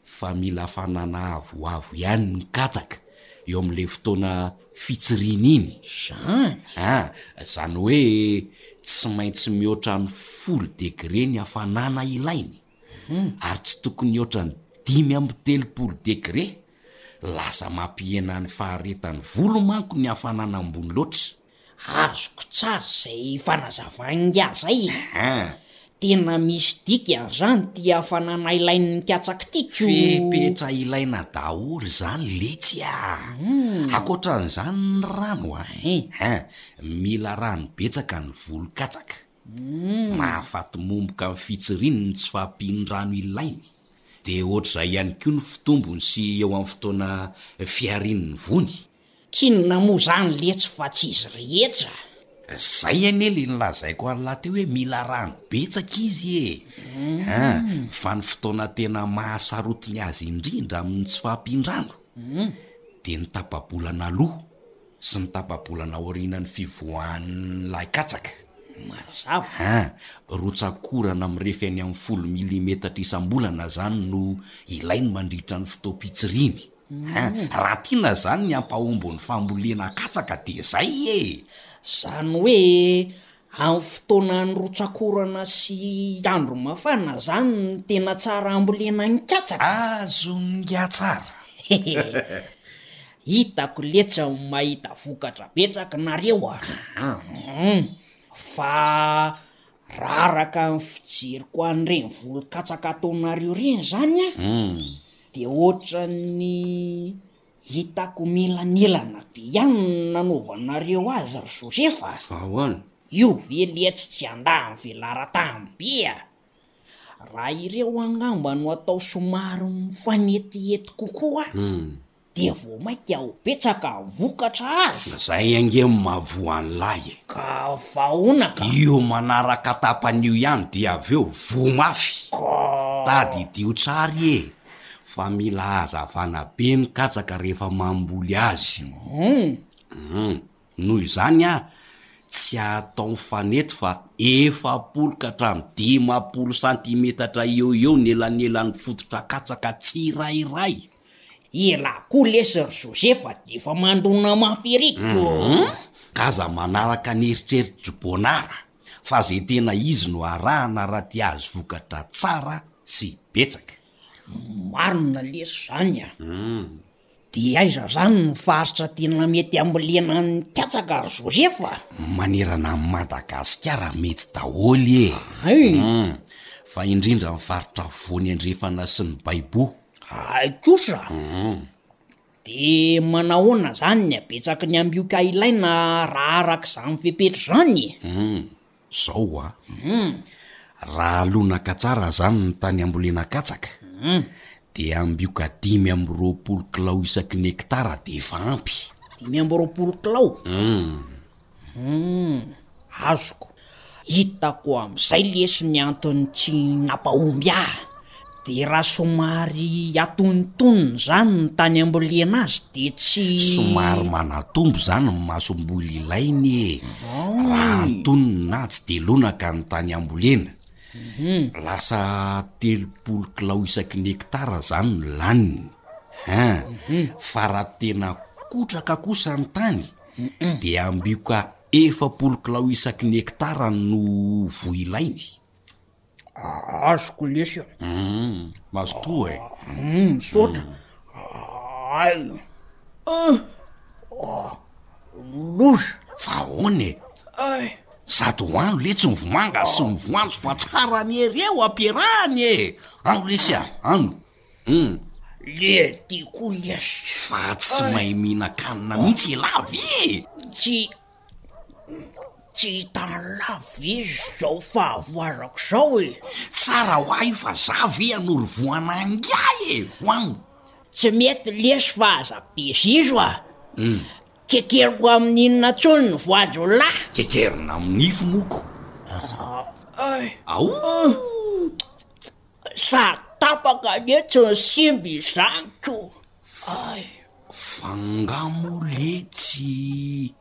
fa mila hafanana avoavo ihany ny katsaka eo amin'ilay fotoana fitsiriana iny. Zany? Ah, zany hoe tsy maintsy mihoatra ny folo degre ny hafanana ilainy, ary tsy tokony hihoatra ny 35 degre. Lasa mampihena ny faharetan'ny volo manko ny hafanana ambony loatra. Azoko tsara izay fanazavan'ingahy zay e! An! Tena misy dikany zany ity hafanana ilain'ny mikatsaka ity ko! Fepetra ilaina daholo izany letsy a! Ankoatran'izany ny rano a! An! Mila rano betsaka ny volo katsaka. Mahafaty momboka amin'ny fitsiriany ny tsy fahampian'ny rano ilainy. Dia ohatr'izay ihany koa ny fitombony sy eo amin'ny fotoana fiharian'ny vony. K'inona moa zany letsy fa tsy izy rehetra? Zay anie le nilazaiko an'lah teo hoe mila rano betsaka izy e! An, fa ny fotoana tena mahasarotiny azy indrindra amin'ny tsy fahampian-drano dia ny tapa-bolana aloha sy ny tapa-bolana aorianan'ny fivoahan'ny lahy-katsaka. Mazava. An, rotsak'orana mirefy any amin'ny folo milimetatra isam-bolana zany no ilainy mandritra ny fotoam-pitsiriany. Hein, raha tiana zany ny hampahombo ny fambolena katsaka de zay e! Zany hoe amin'ny fotoanan'ny rotsak'orana sy andro mafana zany no tena tsara hambolena ny katsaka? Azon'ingahy tsara! Hitako letsy ny mahita vokatra betsaka nareo a! Hum, fa raha araka ny fijeriko an'ireny volon-katsaka ataonareo ireny zany an, Dia ohatran'ny hitako mielanelana be ihany ny nanaovanareo azy ry Josefa a! Fa ahoana? Io ve letsy tsy handà ny velaran-tany be a! Raha ireo angamba no atao somary mifanetiety kokoa dia vao mainka ho betsaka ny vokatra azo. Zay ange no mahavoa an'lahy e! Ka vahoana ka! Io manaraka tapany io ihany dia avy eo voa mafy! Ka. Tadidio tsara e! Fa mila hazavana be ny katsaka rehefa mamboly azy. Hum. Noho izany aho tsy atao mifanety fa 40 ka hatramin'ny 50 santimetatra eo ho eo ny elanelan'ny fototra katsaka tsirairay. Elah koa lesy ry Josefa de efa mandona mafy ery ko. Hum, ka aza manaraka ny eritreritr'i Bonara fa ze tena izy no arahana raha te hahazo vokatra tsara sy betsaka. Marina lesy zany a. De aiza zany ny faritra tena mety ambolena ny katsaka ry Josefa? Manerana an'i Madagasikara mety daholo e. Hay. Hum, fa indrindra ny faritra afovoany andrefana sy ny baiboho. Hay kosa! De manahoana zany ny habetsaky ny ambioka ilaina raha araka izany fepetra izany e? Hum, zao a! Raha lonaka tsara zany ny tany ambolena katsaka, de ambioka 25 kilao isaky ny hektara de efa ampy. 25 kilao? Hum. Humm, azoko. Hitako amin'izay lesy ny antony tsy nampahomby ahy. De raha somary atonontonony zany ny tany ambolena azy de tsy. Somary manatombo zany ny masomboly ilainy e! Raha antonony na tsy de lonaka ny tany ambolena. Lasa 30 kilao isaky ny hektara zany no laniny. Hein! Fa raha tena kotraka kosa ny tany dia ambioka 40 kilao isaky ny hektara no voa ilainy. Azoko lesy a. Hum, mazotoa e. Hum, misaotra. Ay. Ah. Loza. Fa ahoana e? Ay. Sady hoano letsy ny vomanga sy ny voanjo fa tsara anie ireo ampiarahana e. Ano lesy a, ano. Hum. Le ty koa lesy. Fa tsy mahay mihinan-kanina mihitsy elah ve? Tsy tsy hitan'lah ve zao fahavoazako zao e? Tsara ho ahy io fa za ve hanoro voa an'angahy e? Hoano. Tsy mety lesy fa aza be zizo a! Kekeriko amin'inona intsony ny voanjo lah? Kekerina amin'ny nify moko. Ao! Sady tapaka anie tsy ny simba izany ko! Ay! Fa nga moa letsy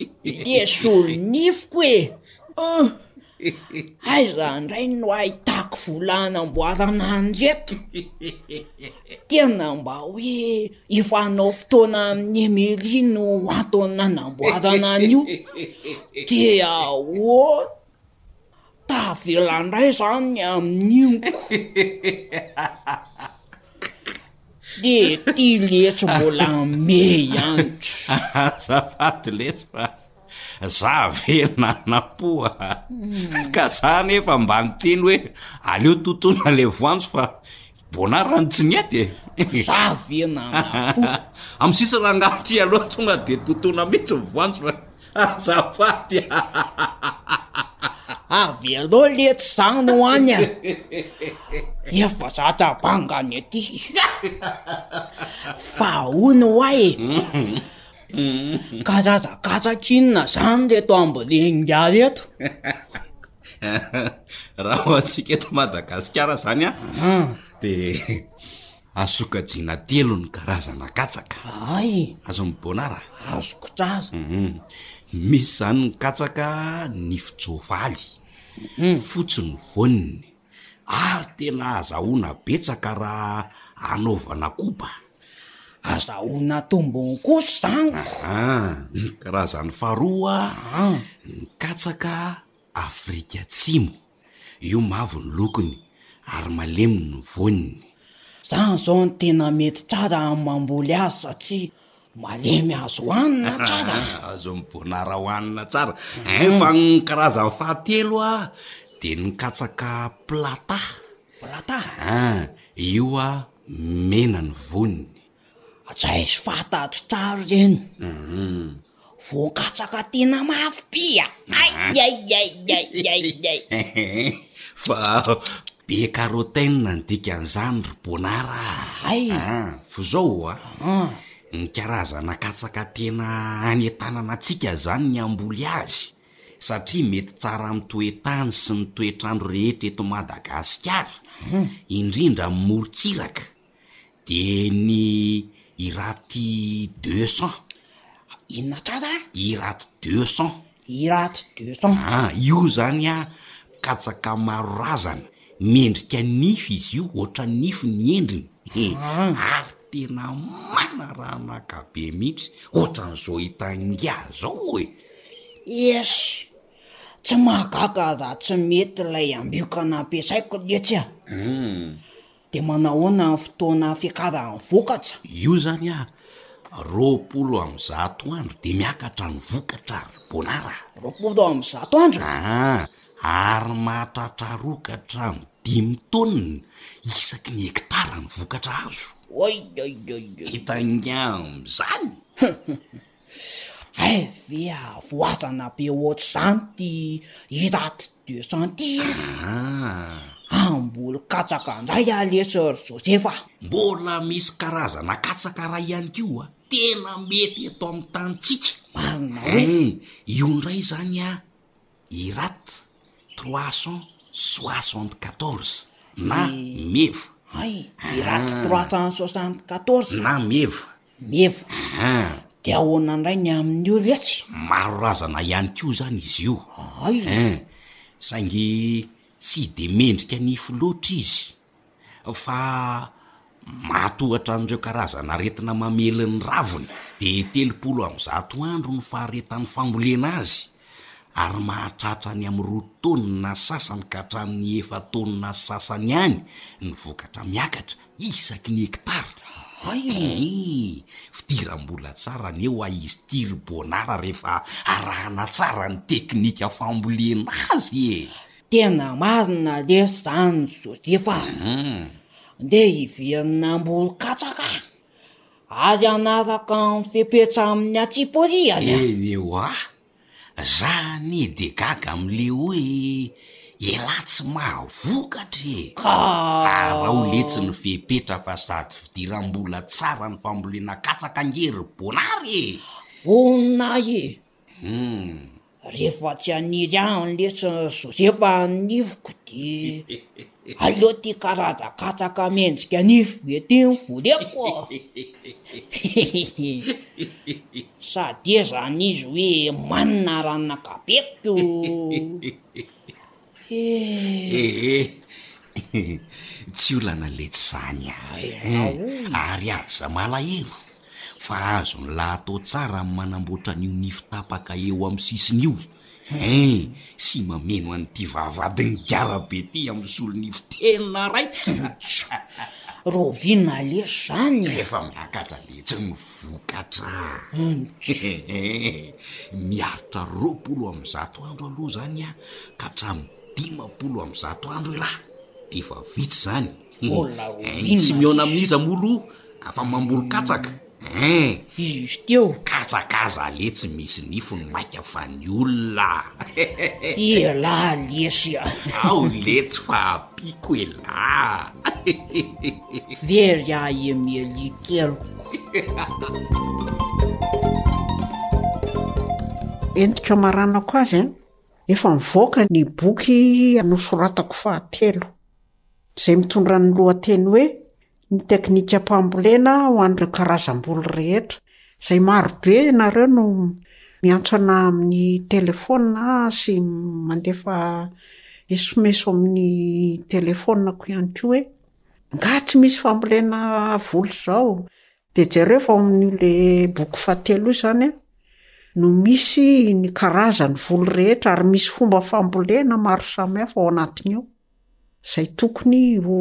Le solonifiko e! An! Aiza indray no ahitako vola hanamboarana an'ireto? Tena mba hoe efa hanao fotoana amin'i Emery no antony nanamboarana an'io. Dia ahoana? Tavela ndray zany ny amin'io ko. De ty letsy mbola ame ihany. Azafady lesy fa za ve nanampo a! Ka za nefa mba niteny hoe aleo totoina le voanjo fa Bonard no tsy nety e! Za ve nanampo? Amin'ny sisa rangahy ty aloha tonga de totoina mihitsy ny voanjo fa azafady a! Avelao letsy zany ho any a! Efa zatra banga ny aty. Fa hono hoa e! Karazan-katsaka inona zany reto ambolen'ingahy reto? Raha ho antsika eto Madagasikara zany an, de azo sokajiana telo ny karazana katsaka. Hay! Azon'i Bonnard a? Azoko tsara. Misy zany ny katsaka nifin-tsoavaly, fotsy ny voaniny, ary tena azahoana betsaka raha anaovana koba. Azahoana tombony kosa izany ko! Aha, ny karazany faharoa, ny katsaka Afrika Atsimo. Io mavo ny lokony ary malemy ny voaniny. Zany zao no tena mety tsara amin'ny mamboly azy satria malemy azo hohanina tsara. Azon'ny bonara hohanina tsara. Ein fa ny karazany fahatelo a, de ny katsaka plata. Plata? Ein, io a mena ny voniny. Zay sy fantatro tsara ireny. Voan-katsaka tena mafy be a! Aiaiaiaiaiai! Fa be carotène ny dikan'izany ry Bonard a! Hay! An, fa zao a, ny karazana katsaka tena anentanana antsika zany ny hamboly azy, satria mety tsara amin'ny toe-tany sy ny toetr'andro rehetra eto Madagasikara, indrindra amin'ny morontsiraka. De ny Iraty 200. Inona tsara? Iraty 200. Iraty 200. Ah, io zany an, katsaka maro razana, miendrika nify izy io, ohatran'ny nify ny endriny, ary tena manaranaka be mihitsy, ohatran'izao hitan'ingahy zao e! Esy! Tsy mahagaga raha tsy mety ilay ambioka nampiasaiko letsy a! De manahoana ny fotoana fiakaran'ny vokatra? Io zany ah, 120 andro de miakatra ny vokatra ry Bonard a! 120 andro? Aa, ary mahatratra roa ka hatramin'ny dimy taonina isaky ny hektara ny vokatra azo. Oioioioy! Hitan'ingahy amin'izany? Hay ve havoazana be ohatr'izany ty Iraty de cent ty e? Aa! Hamboly katsaka indray aho lesy ry Josefa a! Mbola misy karazana katsaka iray ihany koa tena mety eto amin'ny tanintsika. Marina hoe? Ein, io indray izany an, Irat 374 na meva. Hay, Irat 374. Na meva. Meva. Aa. Dia ahoana indray ny amin'io letsy? Maro razana ihany koa izany izy io. Hay. Ein, saingy tsy de mendrika nify loatra izy fa mahatohatra an'ireo karazana aretina mamely ny raviny. De 130 andro ny faharetan'ny fambolena azy ary mahatratra any amin'ny roa taonina sasany ka hatramin'ny efa-taonina sasany any ny vokatra miakatra isaky ny hektara. Hay! Eeh! Fidiram-bola tsara anie hoa izy ity ry Bonara rehefa arahana tsara ny teknika fambolena azy e! Tena marina lesy zany Joseph a! Ndeha hiverina hamboly katsaka ary hanaraka ny fepetra amin'ny antsipiriany a! Eny hoa! Za anie de gaga amle hoe elah tsy mahavokatra e! Ka. Araho letsy ny fepetra fa sady fidiram-bola tsara ny fambolena katsaka ange ry Bonary e! Vonona ahy e! Hum. Rehefa tsy haniry ahy lesy ry Josefa ny nifiko de aleo ty karazan-katsaka mendrika nify be ty no voleko. Sady ezany izy hoe manina ranakabeko. Ee, tsy olana letsy zany a! Ary aza malahelo fa azon'lah atao tsara ny manamboatra an'io nify tapaka eo amin'ny sisiny io hein! Sy mameno an'ity vavahadin'ny gara be ty amin'ny solonify tena raitra! Rahoviana lesy zany e? Rehefa miakatra letsy ny vokatra Miaritra 120 andro aloha zany an, ka hatramin'ny 150 andro elah de efa vita izany. Mbola rahoviana Tsy mihaona amin'iza moa aloha fa mamboly katsaka hein! Izy teo. Katsaka aza letsy misy nifiny maika fa ny olona. Elah lesy a! Ao letsy fa ampiako elah. Very ahy Emilie keliko. Entiko hamaranako azy an, efa nivoaka ny boky nosoratako fahatelo, izay mitondra ny lohateny hoe Ny teknikam-pambolena ho an'ireo karazam-boly rehetra, izay maro be ianareo no miantso anà amin'ny telefaonina sy mandefa esomeso amin'ny telefaoninako ihany koa hoe angaha tsy misy fambolena voly izao? Dia jereo fa ao amin'io le boky fahatelo io izany an, no misy ny karazan'ny voly rehetra ary misy fomba fambolena maro samihafa ao anatin'io. Izay tokony ho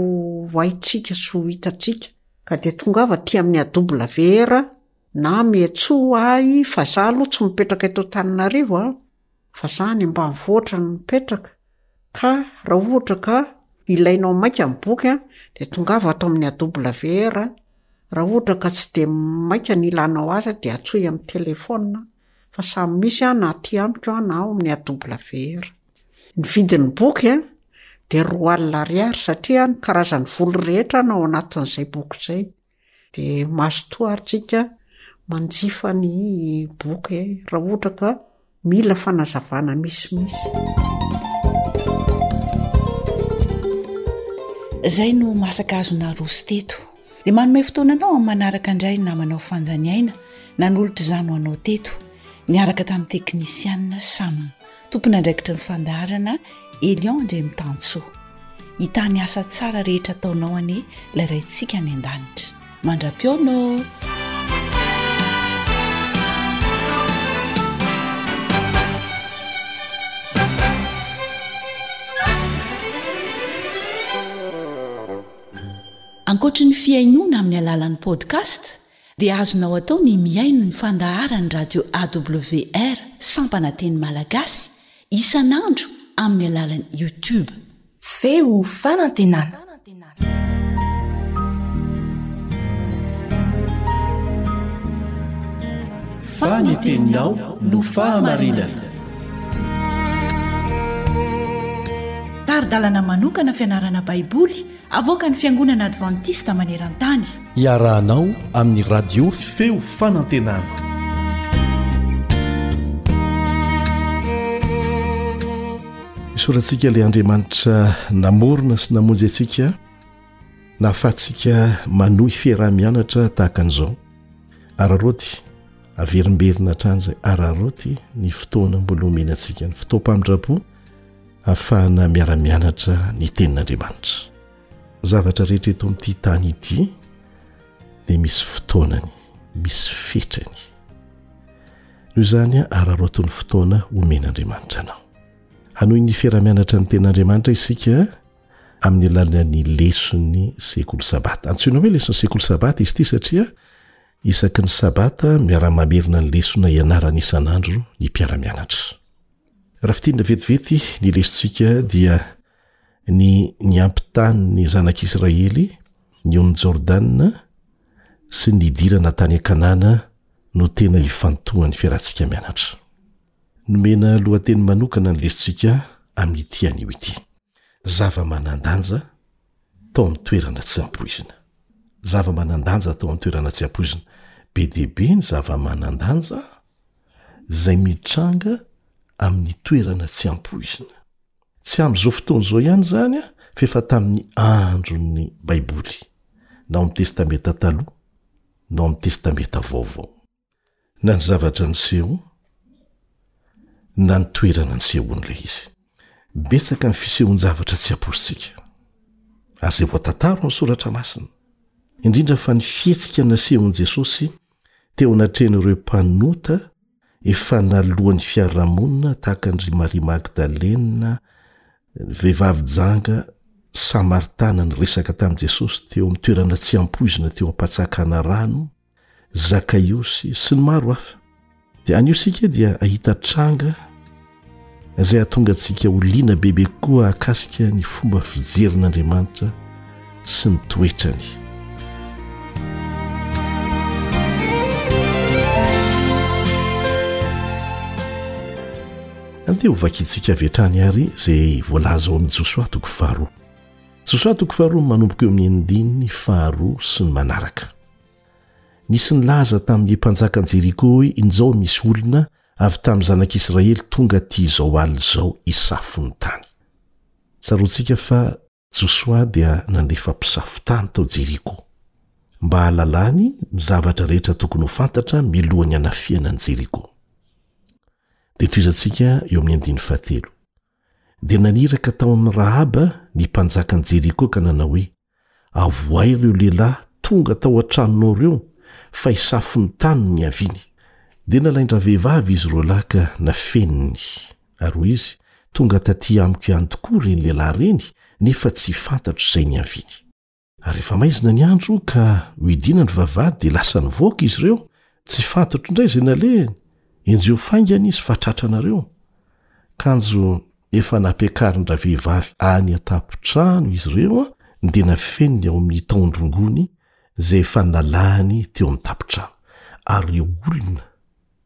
haintsika sy ho hitantsika. Ka dia tongava aty amin'ny AWR na miantsoa ahy fa za aloha tsy mipetraka eto Antananarivo an, fa za any ambanivohitra no mipetraka, ka raha ohatra ka ilainao maika ny boky an, dia tongava ato amin'ny AWR, raha ohatra ka tsy dia maika ny ilanao azy dia antsoy amin'ny telefaonina fa samy misy an na aty amiko an na ao amin'ny AWR. Ny vidin'ny boky dia 20 ariary satria ny karazan'ny voly rehetra no ao anatin'izay boky izay. Dia mazotoa ary tsika manjifa ny boky raha ohatra ka mila fanazavana misimisy. Izay no masaka azo naroso teto. Dia manome fotoana anao amin'ny manaraka indray ny namanao Fandaniaina nanolotra izany ho anao teto niaraka tamin'ny teknisianina Sam. Tompon'andraikitry ny fandaharana Elion Andriamitansoa. Hitahy ny asa tsara rehetra ataonao anie ilay Raintsika any an-danitra. Mandra-pihaona ô! Ankoatry ny fihainoana amin'ny alalan'ny podcast dia azonao atao ny mihaino ny fandaharan'ny radio AWR sampana teny malagasy isan'andro amin'ny alalan'ny YouTube. Feo fanantenana. Fa ny teninao no fahamarinana. Tari-dalana manokana fianarana Baiboly avoakan'ny Fiangonana Advantista maneran-tany. Iarahanao amin'ny Radio Feo Fanantenana. Isaorantsika ilay Andriamanitra namorona sy namonjy antsika nahafahantsika manohy fiaraha-mianatra tahaka an'izao. Araraoty, averimberina hatrany izay, araraoty ny fotoana mbola omena antsika, ny fotoam-pamindram-po ahafahana miara-mianatra ny tenin'Andriamanitra. Zavatra rehetra eto amin'ity tany ity dia misy fotoanany, misy fetrany. Noho izany, araraoty ny fotoana omen'Andriamanitra anao. Hanohy ny fiaraha-mianatra ny tenin'Andriamanitra isika amin'ny alalan'ny leson'ny sekoly sabata. Antsoina hoe leson'ny sekoly sabata izy ity satria isaky ny sabata miara-mamerina ny lesona ianarana isan'andro ny mpiara-mianatra. Raha fintinina vetivety ny lesontsika dia ny niampitàn'ny zanak'Israely ny ony Jordana sy ny nidirana tany Kanana no tena ifantohan'ny fiarahantsika mianatra. Nomena lohateny manokana ny lesontsika amin'ity anio ity, Zava-manan-danja tao amin'ny toerana tsy ampoizina. Zava-manan-danja tao amin'ny toerana tsy ampoizina. Be dia be ny zava-manan-danja izay mitranga amin'ny toerana tsy ampoizina. Tsy amin'izao fotoana izao ihany izany fa efa tamin'ny andron'ny Baiboly, na ao amin'ny Testamenta Taloha na ao amin'ny Testamenta Vaovao. Na ny zavatra niseho na ny toerana nisehoan'ilay izy. Betsaka ny fisehoan-javatra tsy ampoizintsika, ary izay voatantara ao amin'ny Soratra Masina, indrindra fa ny fihetsika nasehon'i Jesosy teo anatrehan'ireo mpanota efa naloan'ny fiarahamonina tahaka an-dry Maria Magdalena, ny vehivavy janga samaritana niresaka tamin'i Jesosy teo amin'ny toerana tsy ampoizina teo am-patsakana rano, Zakaiosy sy ny maro hafa. Dia anio isika dia hahita tranga izay hahatonga antsika ho liana bebe kokoa hahakasika ny fomba fijerin'Andriamanitra sy ny toetrany. Andeha ho vakintsika avy hatrany àry izay voalaza ao amin'ny Josoa toko faharoa. Josoa toko faharoa manomboka eo amin'ny andininy faharoa sy ny manaraka. Nisy nilaza tamin'ny mpanjakan'i Jeriko hoe injao misy olona. Avy tamin'ny zanak'Israely tonga aty izao alina izao hisafo ny tany. Tsaroantsika fa Josoa dia nandefa mpisafo tany tao Jeriko, mba hahalalany ny zavatra rehetra tokony ho fantatra mialohan'ny hanafihana an'i Jeriko. Dia tohizantsika eo amin'ny andininy fahatelo. Dia naniraka tao amin'i Rahaba ny mpanjakan'i Jeriko ka nanao hoe, Avoahy ireo lehilahy tonga tao an-tranonao ireo, fa hisafo ny tany no niaviany. Dia nalain-dravehivavy izy roalahy ka nafeniny, ary hoy izy, Tonga tatỳ amiko ihany tokoa ireny lehilahy ireny, nefa tsy fantatro izay niaviany. Ary rehefa maizina ny andro ka nohidiana ny vavahady dia lasa nivoaka izy ireo, tsy fantatro indray izay nalehany, enjeho faingana izy fa tratranareo. Kanjo efa nampiakarin-dravehivavy any an-tampon-trano izy ireo dia nafeniny ao amin'ny tahon-drongony izay efa nalahany teo amin'ny tampon-trano, ary ireo olona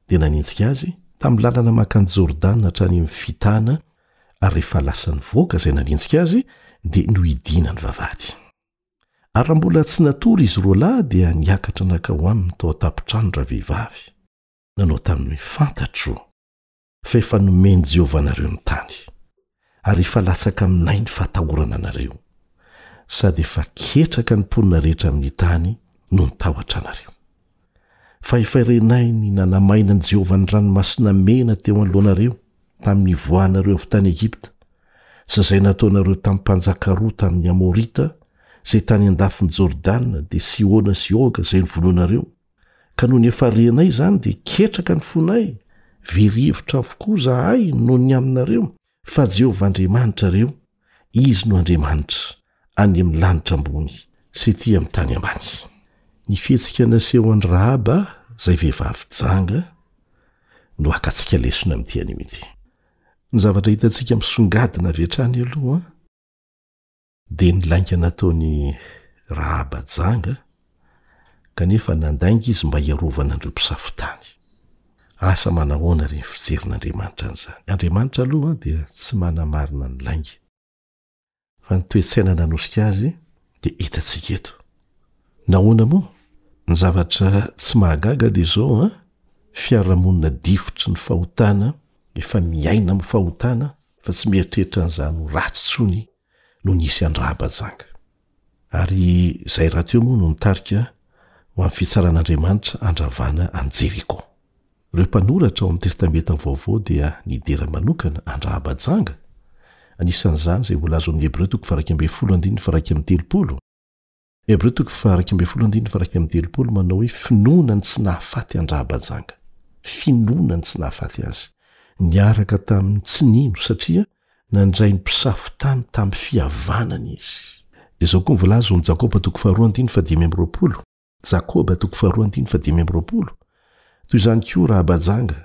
dia nanenjika azy tamin'ny lalana mankany Jordana hatrany amin'ny fitana, ary rehefa lasa nivoaka izay nanenjika azy dia nohidiana ny vavahady. Ary raha mbola tsy natory izy roalahy dia niakatra nankao aminy tao an-tampon-trano ravehivavy, nanao taminy hoe, Fantatro fa efa nomen'i Jehovah anareo ny tany, ary efa latsaka aminay ny fahatahorana anareo, sady efa ketraka ny mponina rehetra amin'ny tany noho ny tahotra anareo. Fa efa renay ny nanamainan'i Jehovah ny Ranomasina Mena teo anoloanareo, tamin'ny nivoahanareo avy tany Egypta, sy izay nataonareo tamin'ny mpanjaka roa tamin'ny Amorita, izay tany an-dafin'i Jordana, dia Sihona sy Oga, izay novonoinareo. Ka nony efa renay izany dia ketraka ny fonay, very hevitra avokoa izahay noho ny aminareo, fa Jehovah Andriamanitrareo, Izy no Andriamanitra, any amin'ny lanitra ambony sy etỳ amin'ny tany ambany. Ny fihetsika nasehon'i Rahaba, izay vehivavy janga, no hakantsika lesona amin'ity anio ity. Ny zavatra hitantsika misongadina avy hatrany aloha, Dia ny lainga nataon'i Rahaba janga, kanefa nandainga izy mba hiarovana an'ireo mpisafo tany. Asa manahoana re ny fijerin'Andriamanitra an'izany? Andriamanitra aloha dia tsy manamarina ny lainga. Fa ny toe-tsaina nanosika azy dia hitantsika eto. Nahoana moa? Ny zavatra tsy mahagaga dia izao an, fiarahamonina difotry ny fahotana, efa miaina amin'ny fahotana, fa tsy mieritreritra an'izany ho ratsy intsony no nisy an-dRahabajanga. Ary izay rahateo moa no nitarika ho amin'ny fitsaran'Andriamanitra handravana an'i Jeriko. Ireo mpanoratra ao amin'ny Testamenta Vaovao dia nidera manokana an-dRahabajanga, anisan'izany izay voalaza ao amin'ny Hebreo toko faha-11 andininy faha-31. Hebreo toko faha-11 andininy faha-31 manao hoe finoana ny tsy nahafaty an-dRahabajanga. Finoana ny tsy nahafaty azy. Niaraka tamin'ny tsy nino satria nandray ny mpisafo tany tamin'ny fihavanana izy. Dia izao koa ny voalaza ao amin'ny Jakoba toko faharoa andininy fahadimy amby roapolo. Jakoba toko faharoa andininy fahadimy amby roapolo. Toy izany koa Rahabajanga.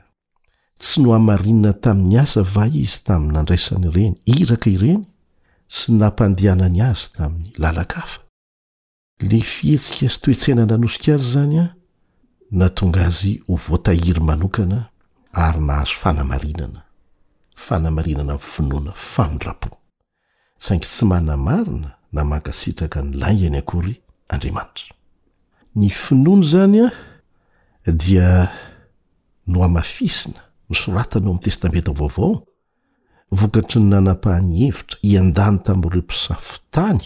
Tsy nohamarinina tamin'ny asa va izy tamin'ny nandraisany ireny iraka ireny sy ny nampandehanany azy tamin'ny lalan-kafa? Ilay fihetsika sy toe-tsaina nanosika azy izany nahatonga azy ho voatahiry manokana ary nahazo fanamarinana, fanamarinana amin'ny finoana famindram-po. Saingy tsy manamarina na mankasitraka ny laingany akory Andriamanitra. Ny finoana izany dia nohamafisina, nosoratana ao amin'ny Testamenta Vaovao, vokatry ny nanapahany hevitra hiandany tamin'ireo mpisafo tany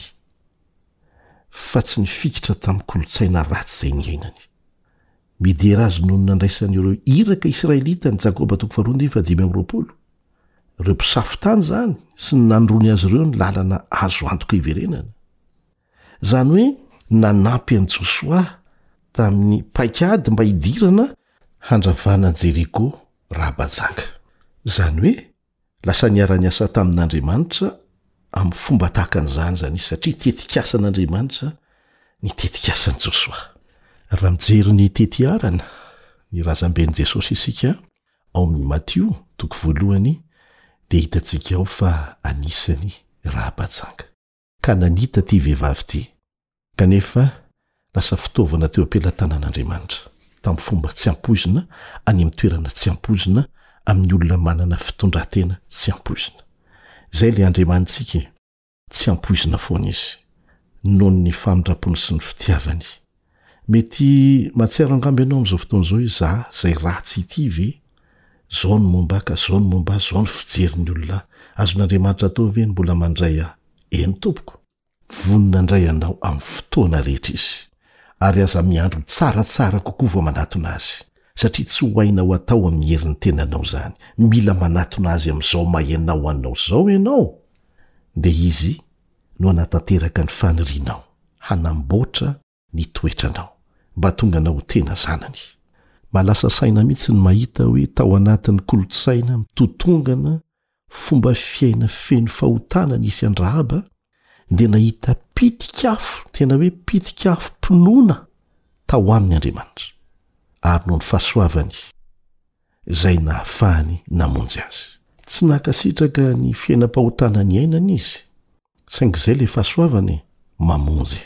fa tsy nifikitra tamin'ny kolontsaina ratsy izay niainany. Midera azy noho ny nandraisany ireo iraka israelita ny Jakoba toko faharoa andininy fahadimy amby roapolo. Ireo mpisafo tany izany sy ny nanoroany azy ireo ny lalana azo antoka hiverenana. Izany hoe nanampy an'i Josoa tamin'ny paikady mba hidirana handravana an'i Jeriko Rahabajanga. Izany hoe lasa niara-niasa tamin'Andriamanitra amin'ny fomba tahaka an'izany izany izy, satria tetikasan'Andriamanitra ny tetikasan'i Josoa. Raha mijery ny tetiarana ny razamben'i Jesosy isika ao amin'ny Matio toko voalohany dia hitantsika ao fa anisany Rahabajanga. Kananita ity vehivavy ity, kanefa lasa fitaovana teo am-pelatanan'Andriamanitra, tamin'ny fomba tsy ampoizina, any amin'ny toerana tsy ampoizina, amin'ny olona manana fitondran-tena tsy ampoizina. Izay ilay Andriamanitsika e! Tsy ampoizina foana Izy, noho ny famindram-pony sy ny fitiavany. Mety mahatsiaro angamba ianao amin'izao fotoana izao hoe, 'Izaho izay ratsy ity ve? Zao ny momba ahy ka zao ny momba ahy, zao ny fijerin'ny olona ahy. Azon'Andriamanitra atao ve ny mbola mandray ahy? Eny tompoko. Vonona handray anao amin'ny fotoana rehetra Izy. Ary aza miandry ho tsaratsara kokoa vao manatona Azy, satria tsy ho hainao atao amin'ny herin'ny tenanao izany. Mila manatona Azy amin'izao maha ianao anao izao ianao, dia Izy no hanatanteraka ny fanirianao, hanamboatra ny toetranao, mba hahatonga anao ho tena zanany. Mahalasa saina mihitsy ny mahita hoe tao anatin'ny kolontsaina mitotongana fomba fiaina feno fahotana nisy an-dRahaba, dia nahita pitik'afo, tena hoe pitik'afom-pinoana tao aminy Andriamanitra, ary noho ny fahasoavany izay nahafahany namonjy azy. Tsy nankasitraka ny fiainam-pahotana niainany izy, saingy izay ilay fahasoavana e, mamonjy.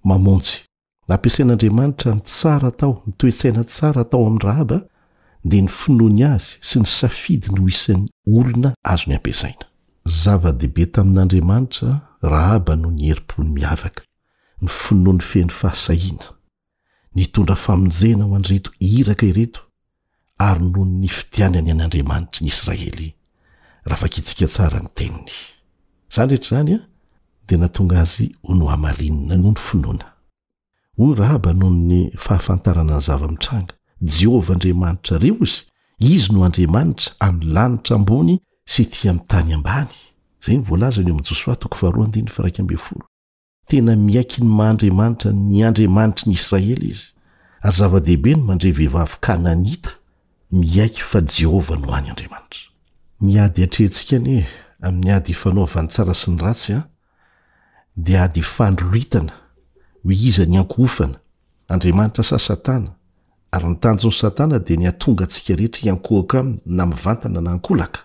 Mamonjy. Nampiasain'Andriamanitra ny tsara tao, ny toe-tsaina tsara tao amin'i Rahaba, dia ny finoany azy sy ny safidiny ho isan'ny olona azony ampiasaina. Zava-dehibe tamin'Andriamanitra Rahaba noho ny herim-pony miavaka, ny finoany feno fahasahiana, nitondra famonjena ho an'ireto iraka ireto, ary noho ny nifidianany an' Andriamanitry ny Israely, raha vakintsika tsara ny teniny. Izany rehetra izany dia nahatonga azy ho nohamarinina noho ny finoana. Hoy Rahaba noho ny fahafantarana ny zava-mitranga, Jehovah Andriamanitrareo izy, Izy no Andriamanitra amin'ny lanitra ambony sy ety amin'ny tany ambany. Izay no voalazany eo amin'ny Josoa toko faharoa andininy faha 11. Tena miaiky ny maha Andriamanitra ny Andriamanitry ny Israely izy, ary zava-dehibe ny mandre vehivavy kananita miaiky fa Jehovah no hany Andriamanitra. Ny ady atrehintsika anie amin'ny ady ifanaovan'ny tsara sy ny ratsy an, dia ady ifandroritana hoe iza ny ankohofana, Andriamanitra sa Satana, ary ny tanjon'i Satana dia ny hahatonga antsika rehetra hiankohoka aminy na mivantana na ankolaka.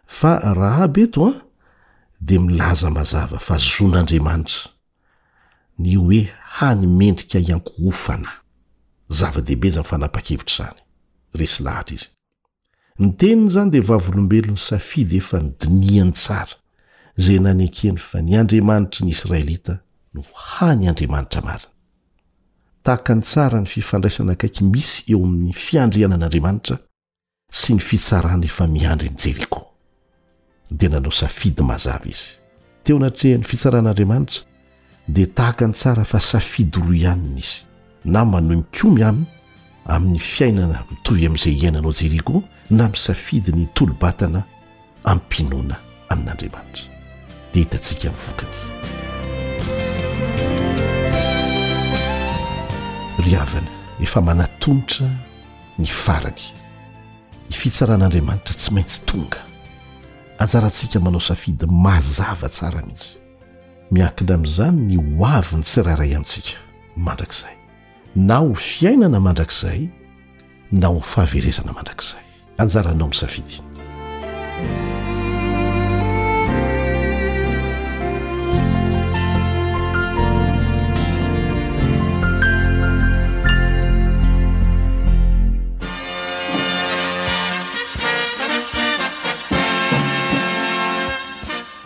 Fa Rahaba eto an, dia milaza mazava fa zon'Andriamanitra ny hoe hany mendrika hiankohofana. Zava-dehibe izany fanapahan-kevitra izany. Resy lahatra izy. Ny teniny izany dia vavolombelon'ny safidy efa nodinihany tsara, izay nanekeny fa ny Andriamanitry ny Israelita no hany Andriamanitra marina. Takany tsara ny fifandraisana akaiky misy eo amin'ny fiandrianan'Andriamanitra sy ny fitsarana efa miandry an'i Jeriko. Dia nanao safidy mazava izy. Teo anatrehan'ny fitsaran'Andriamanitra, dia tahaka ny tsara fa safidy roa ihany no nisy, na manohy mikomy aminy amin'ny fiainana mitovy amin'izay iainana ao Jeriko, na misafidy ny hitolo-batana amim-pinoana amin'Andriamanitra. Dia hitantsika ny vokany. Ry havana, efa manatomotra ny farany. Ny fitsaran'Andriamanitra tsy maintsy tonga. Anjarantsika manao safidy mazava tsara mihitsy. Miankina amin'izany ny ho avin'ny tsirairay amintsika mandrakizay. Na ho fiainana mandrakizay na ho fahaverezana mandrakizay. Anjaranao misafidy.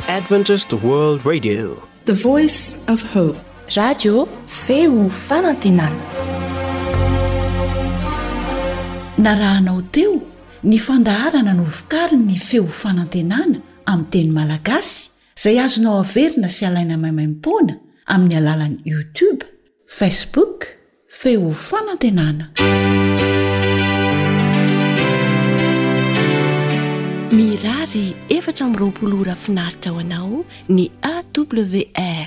Adventist World Radio. The Voice of Hope. Radio Feo Fanantenana. Narahanao teo ny fandaharana novokarin'ny Feo Fanantenana amin'ny teny malagasy izay azonao averina sy alaina maimaimpoana amin'ny alalan'ny YouTube, Facebook, Feo Fanantenana. Mirary 24 ora finaritra ho anao ny AWR.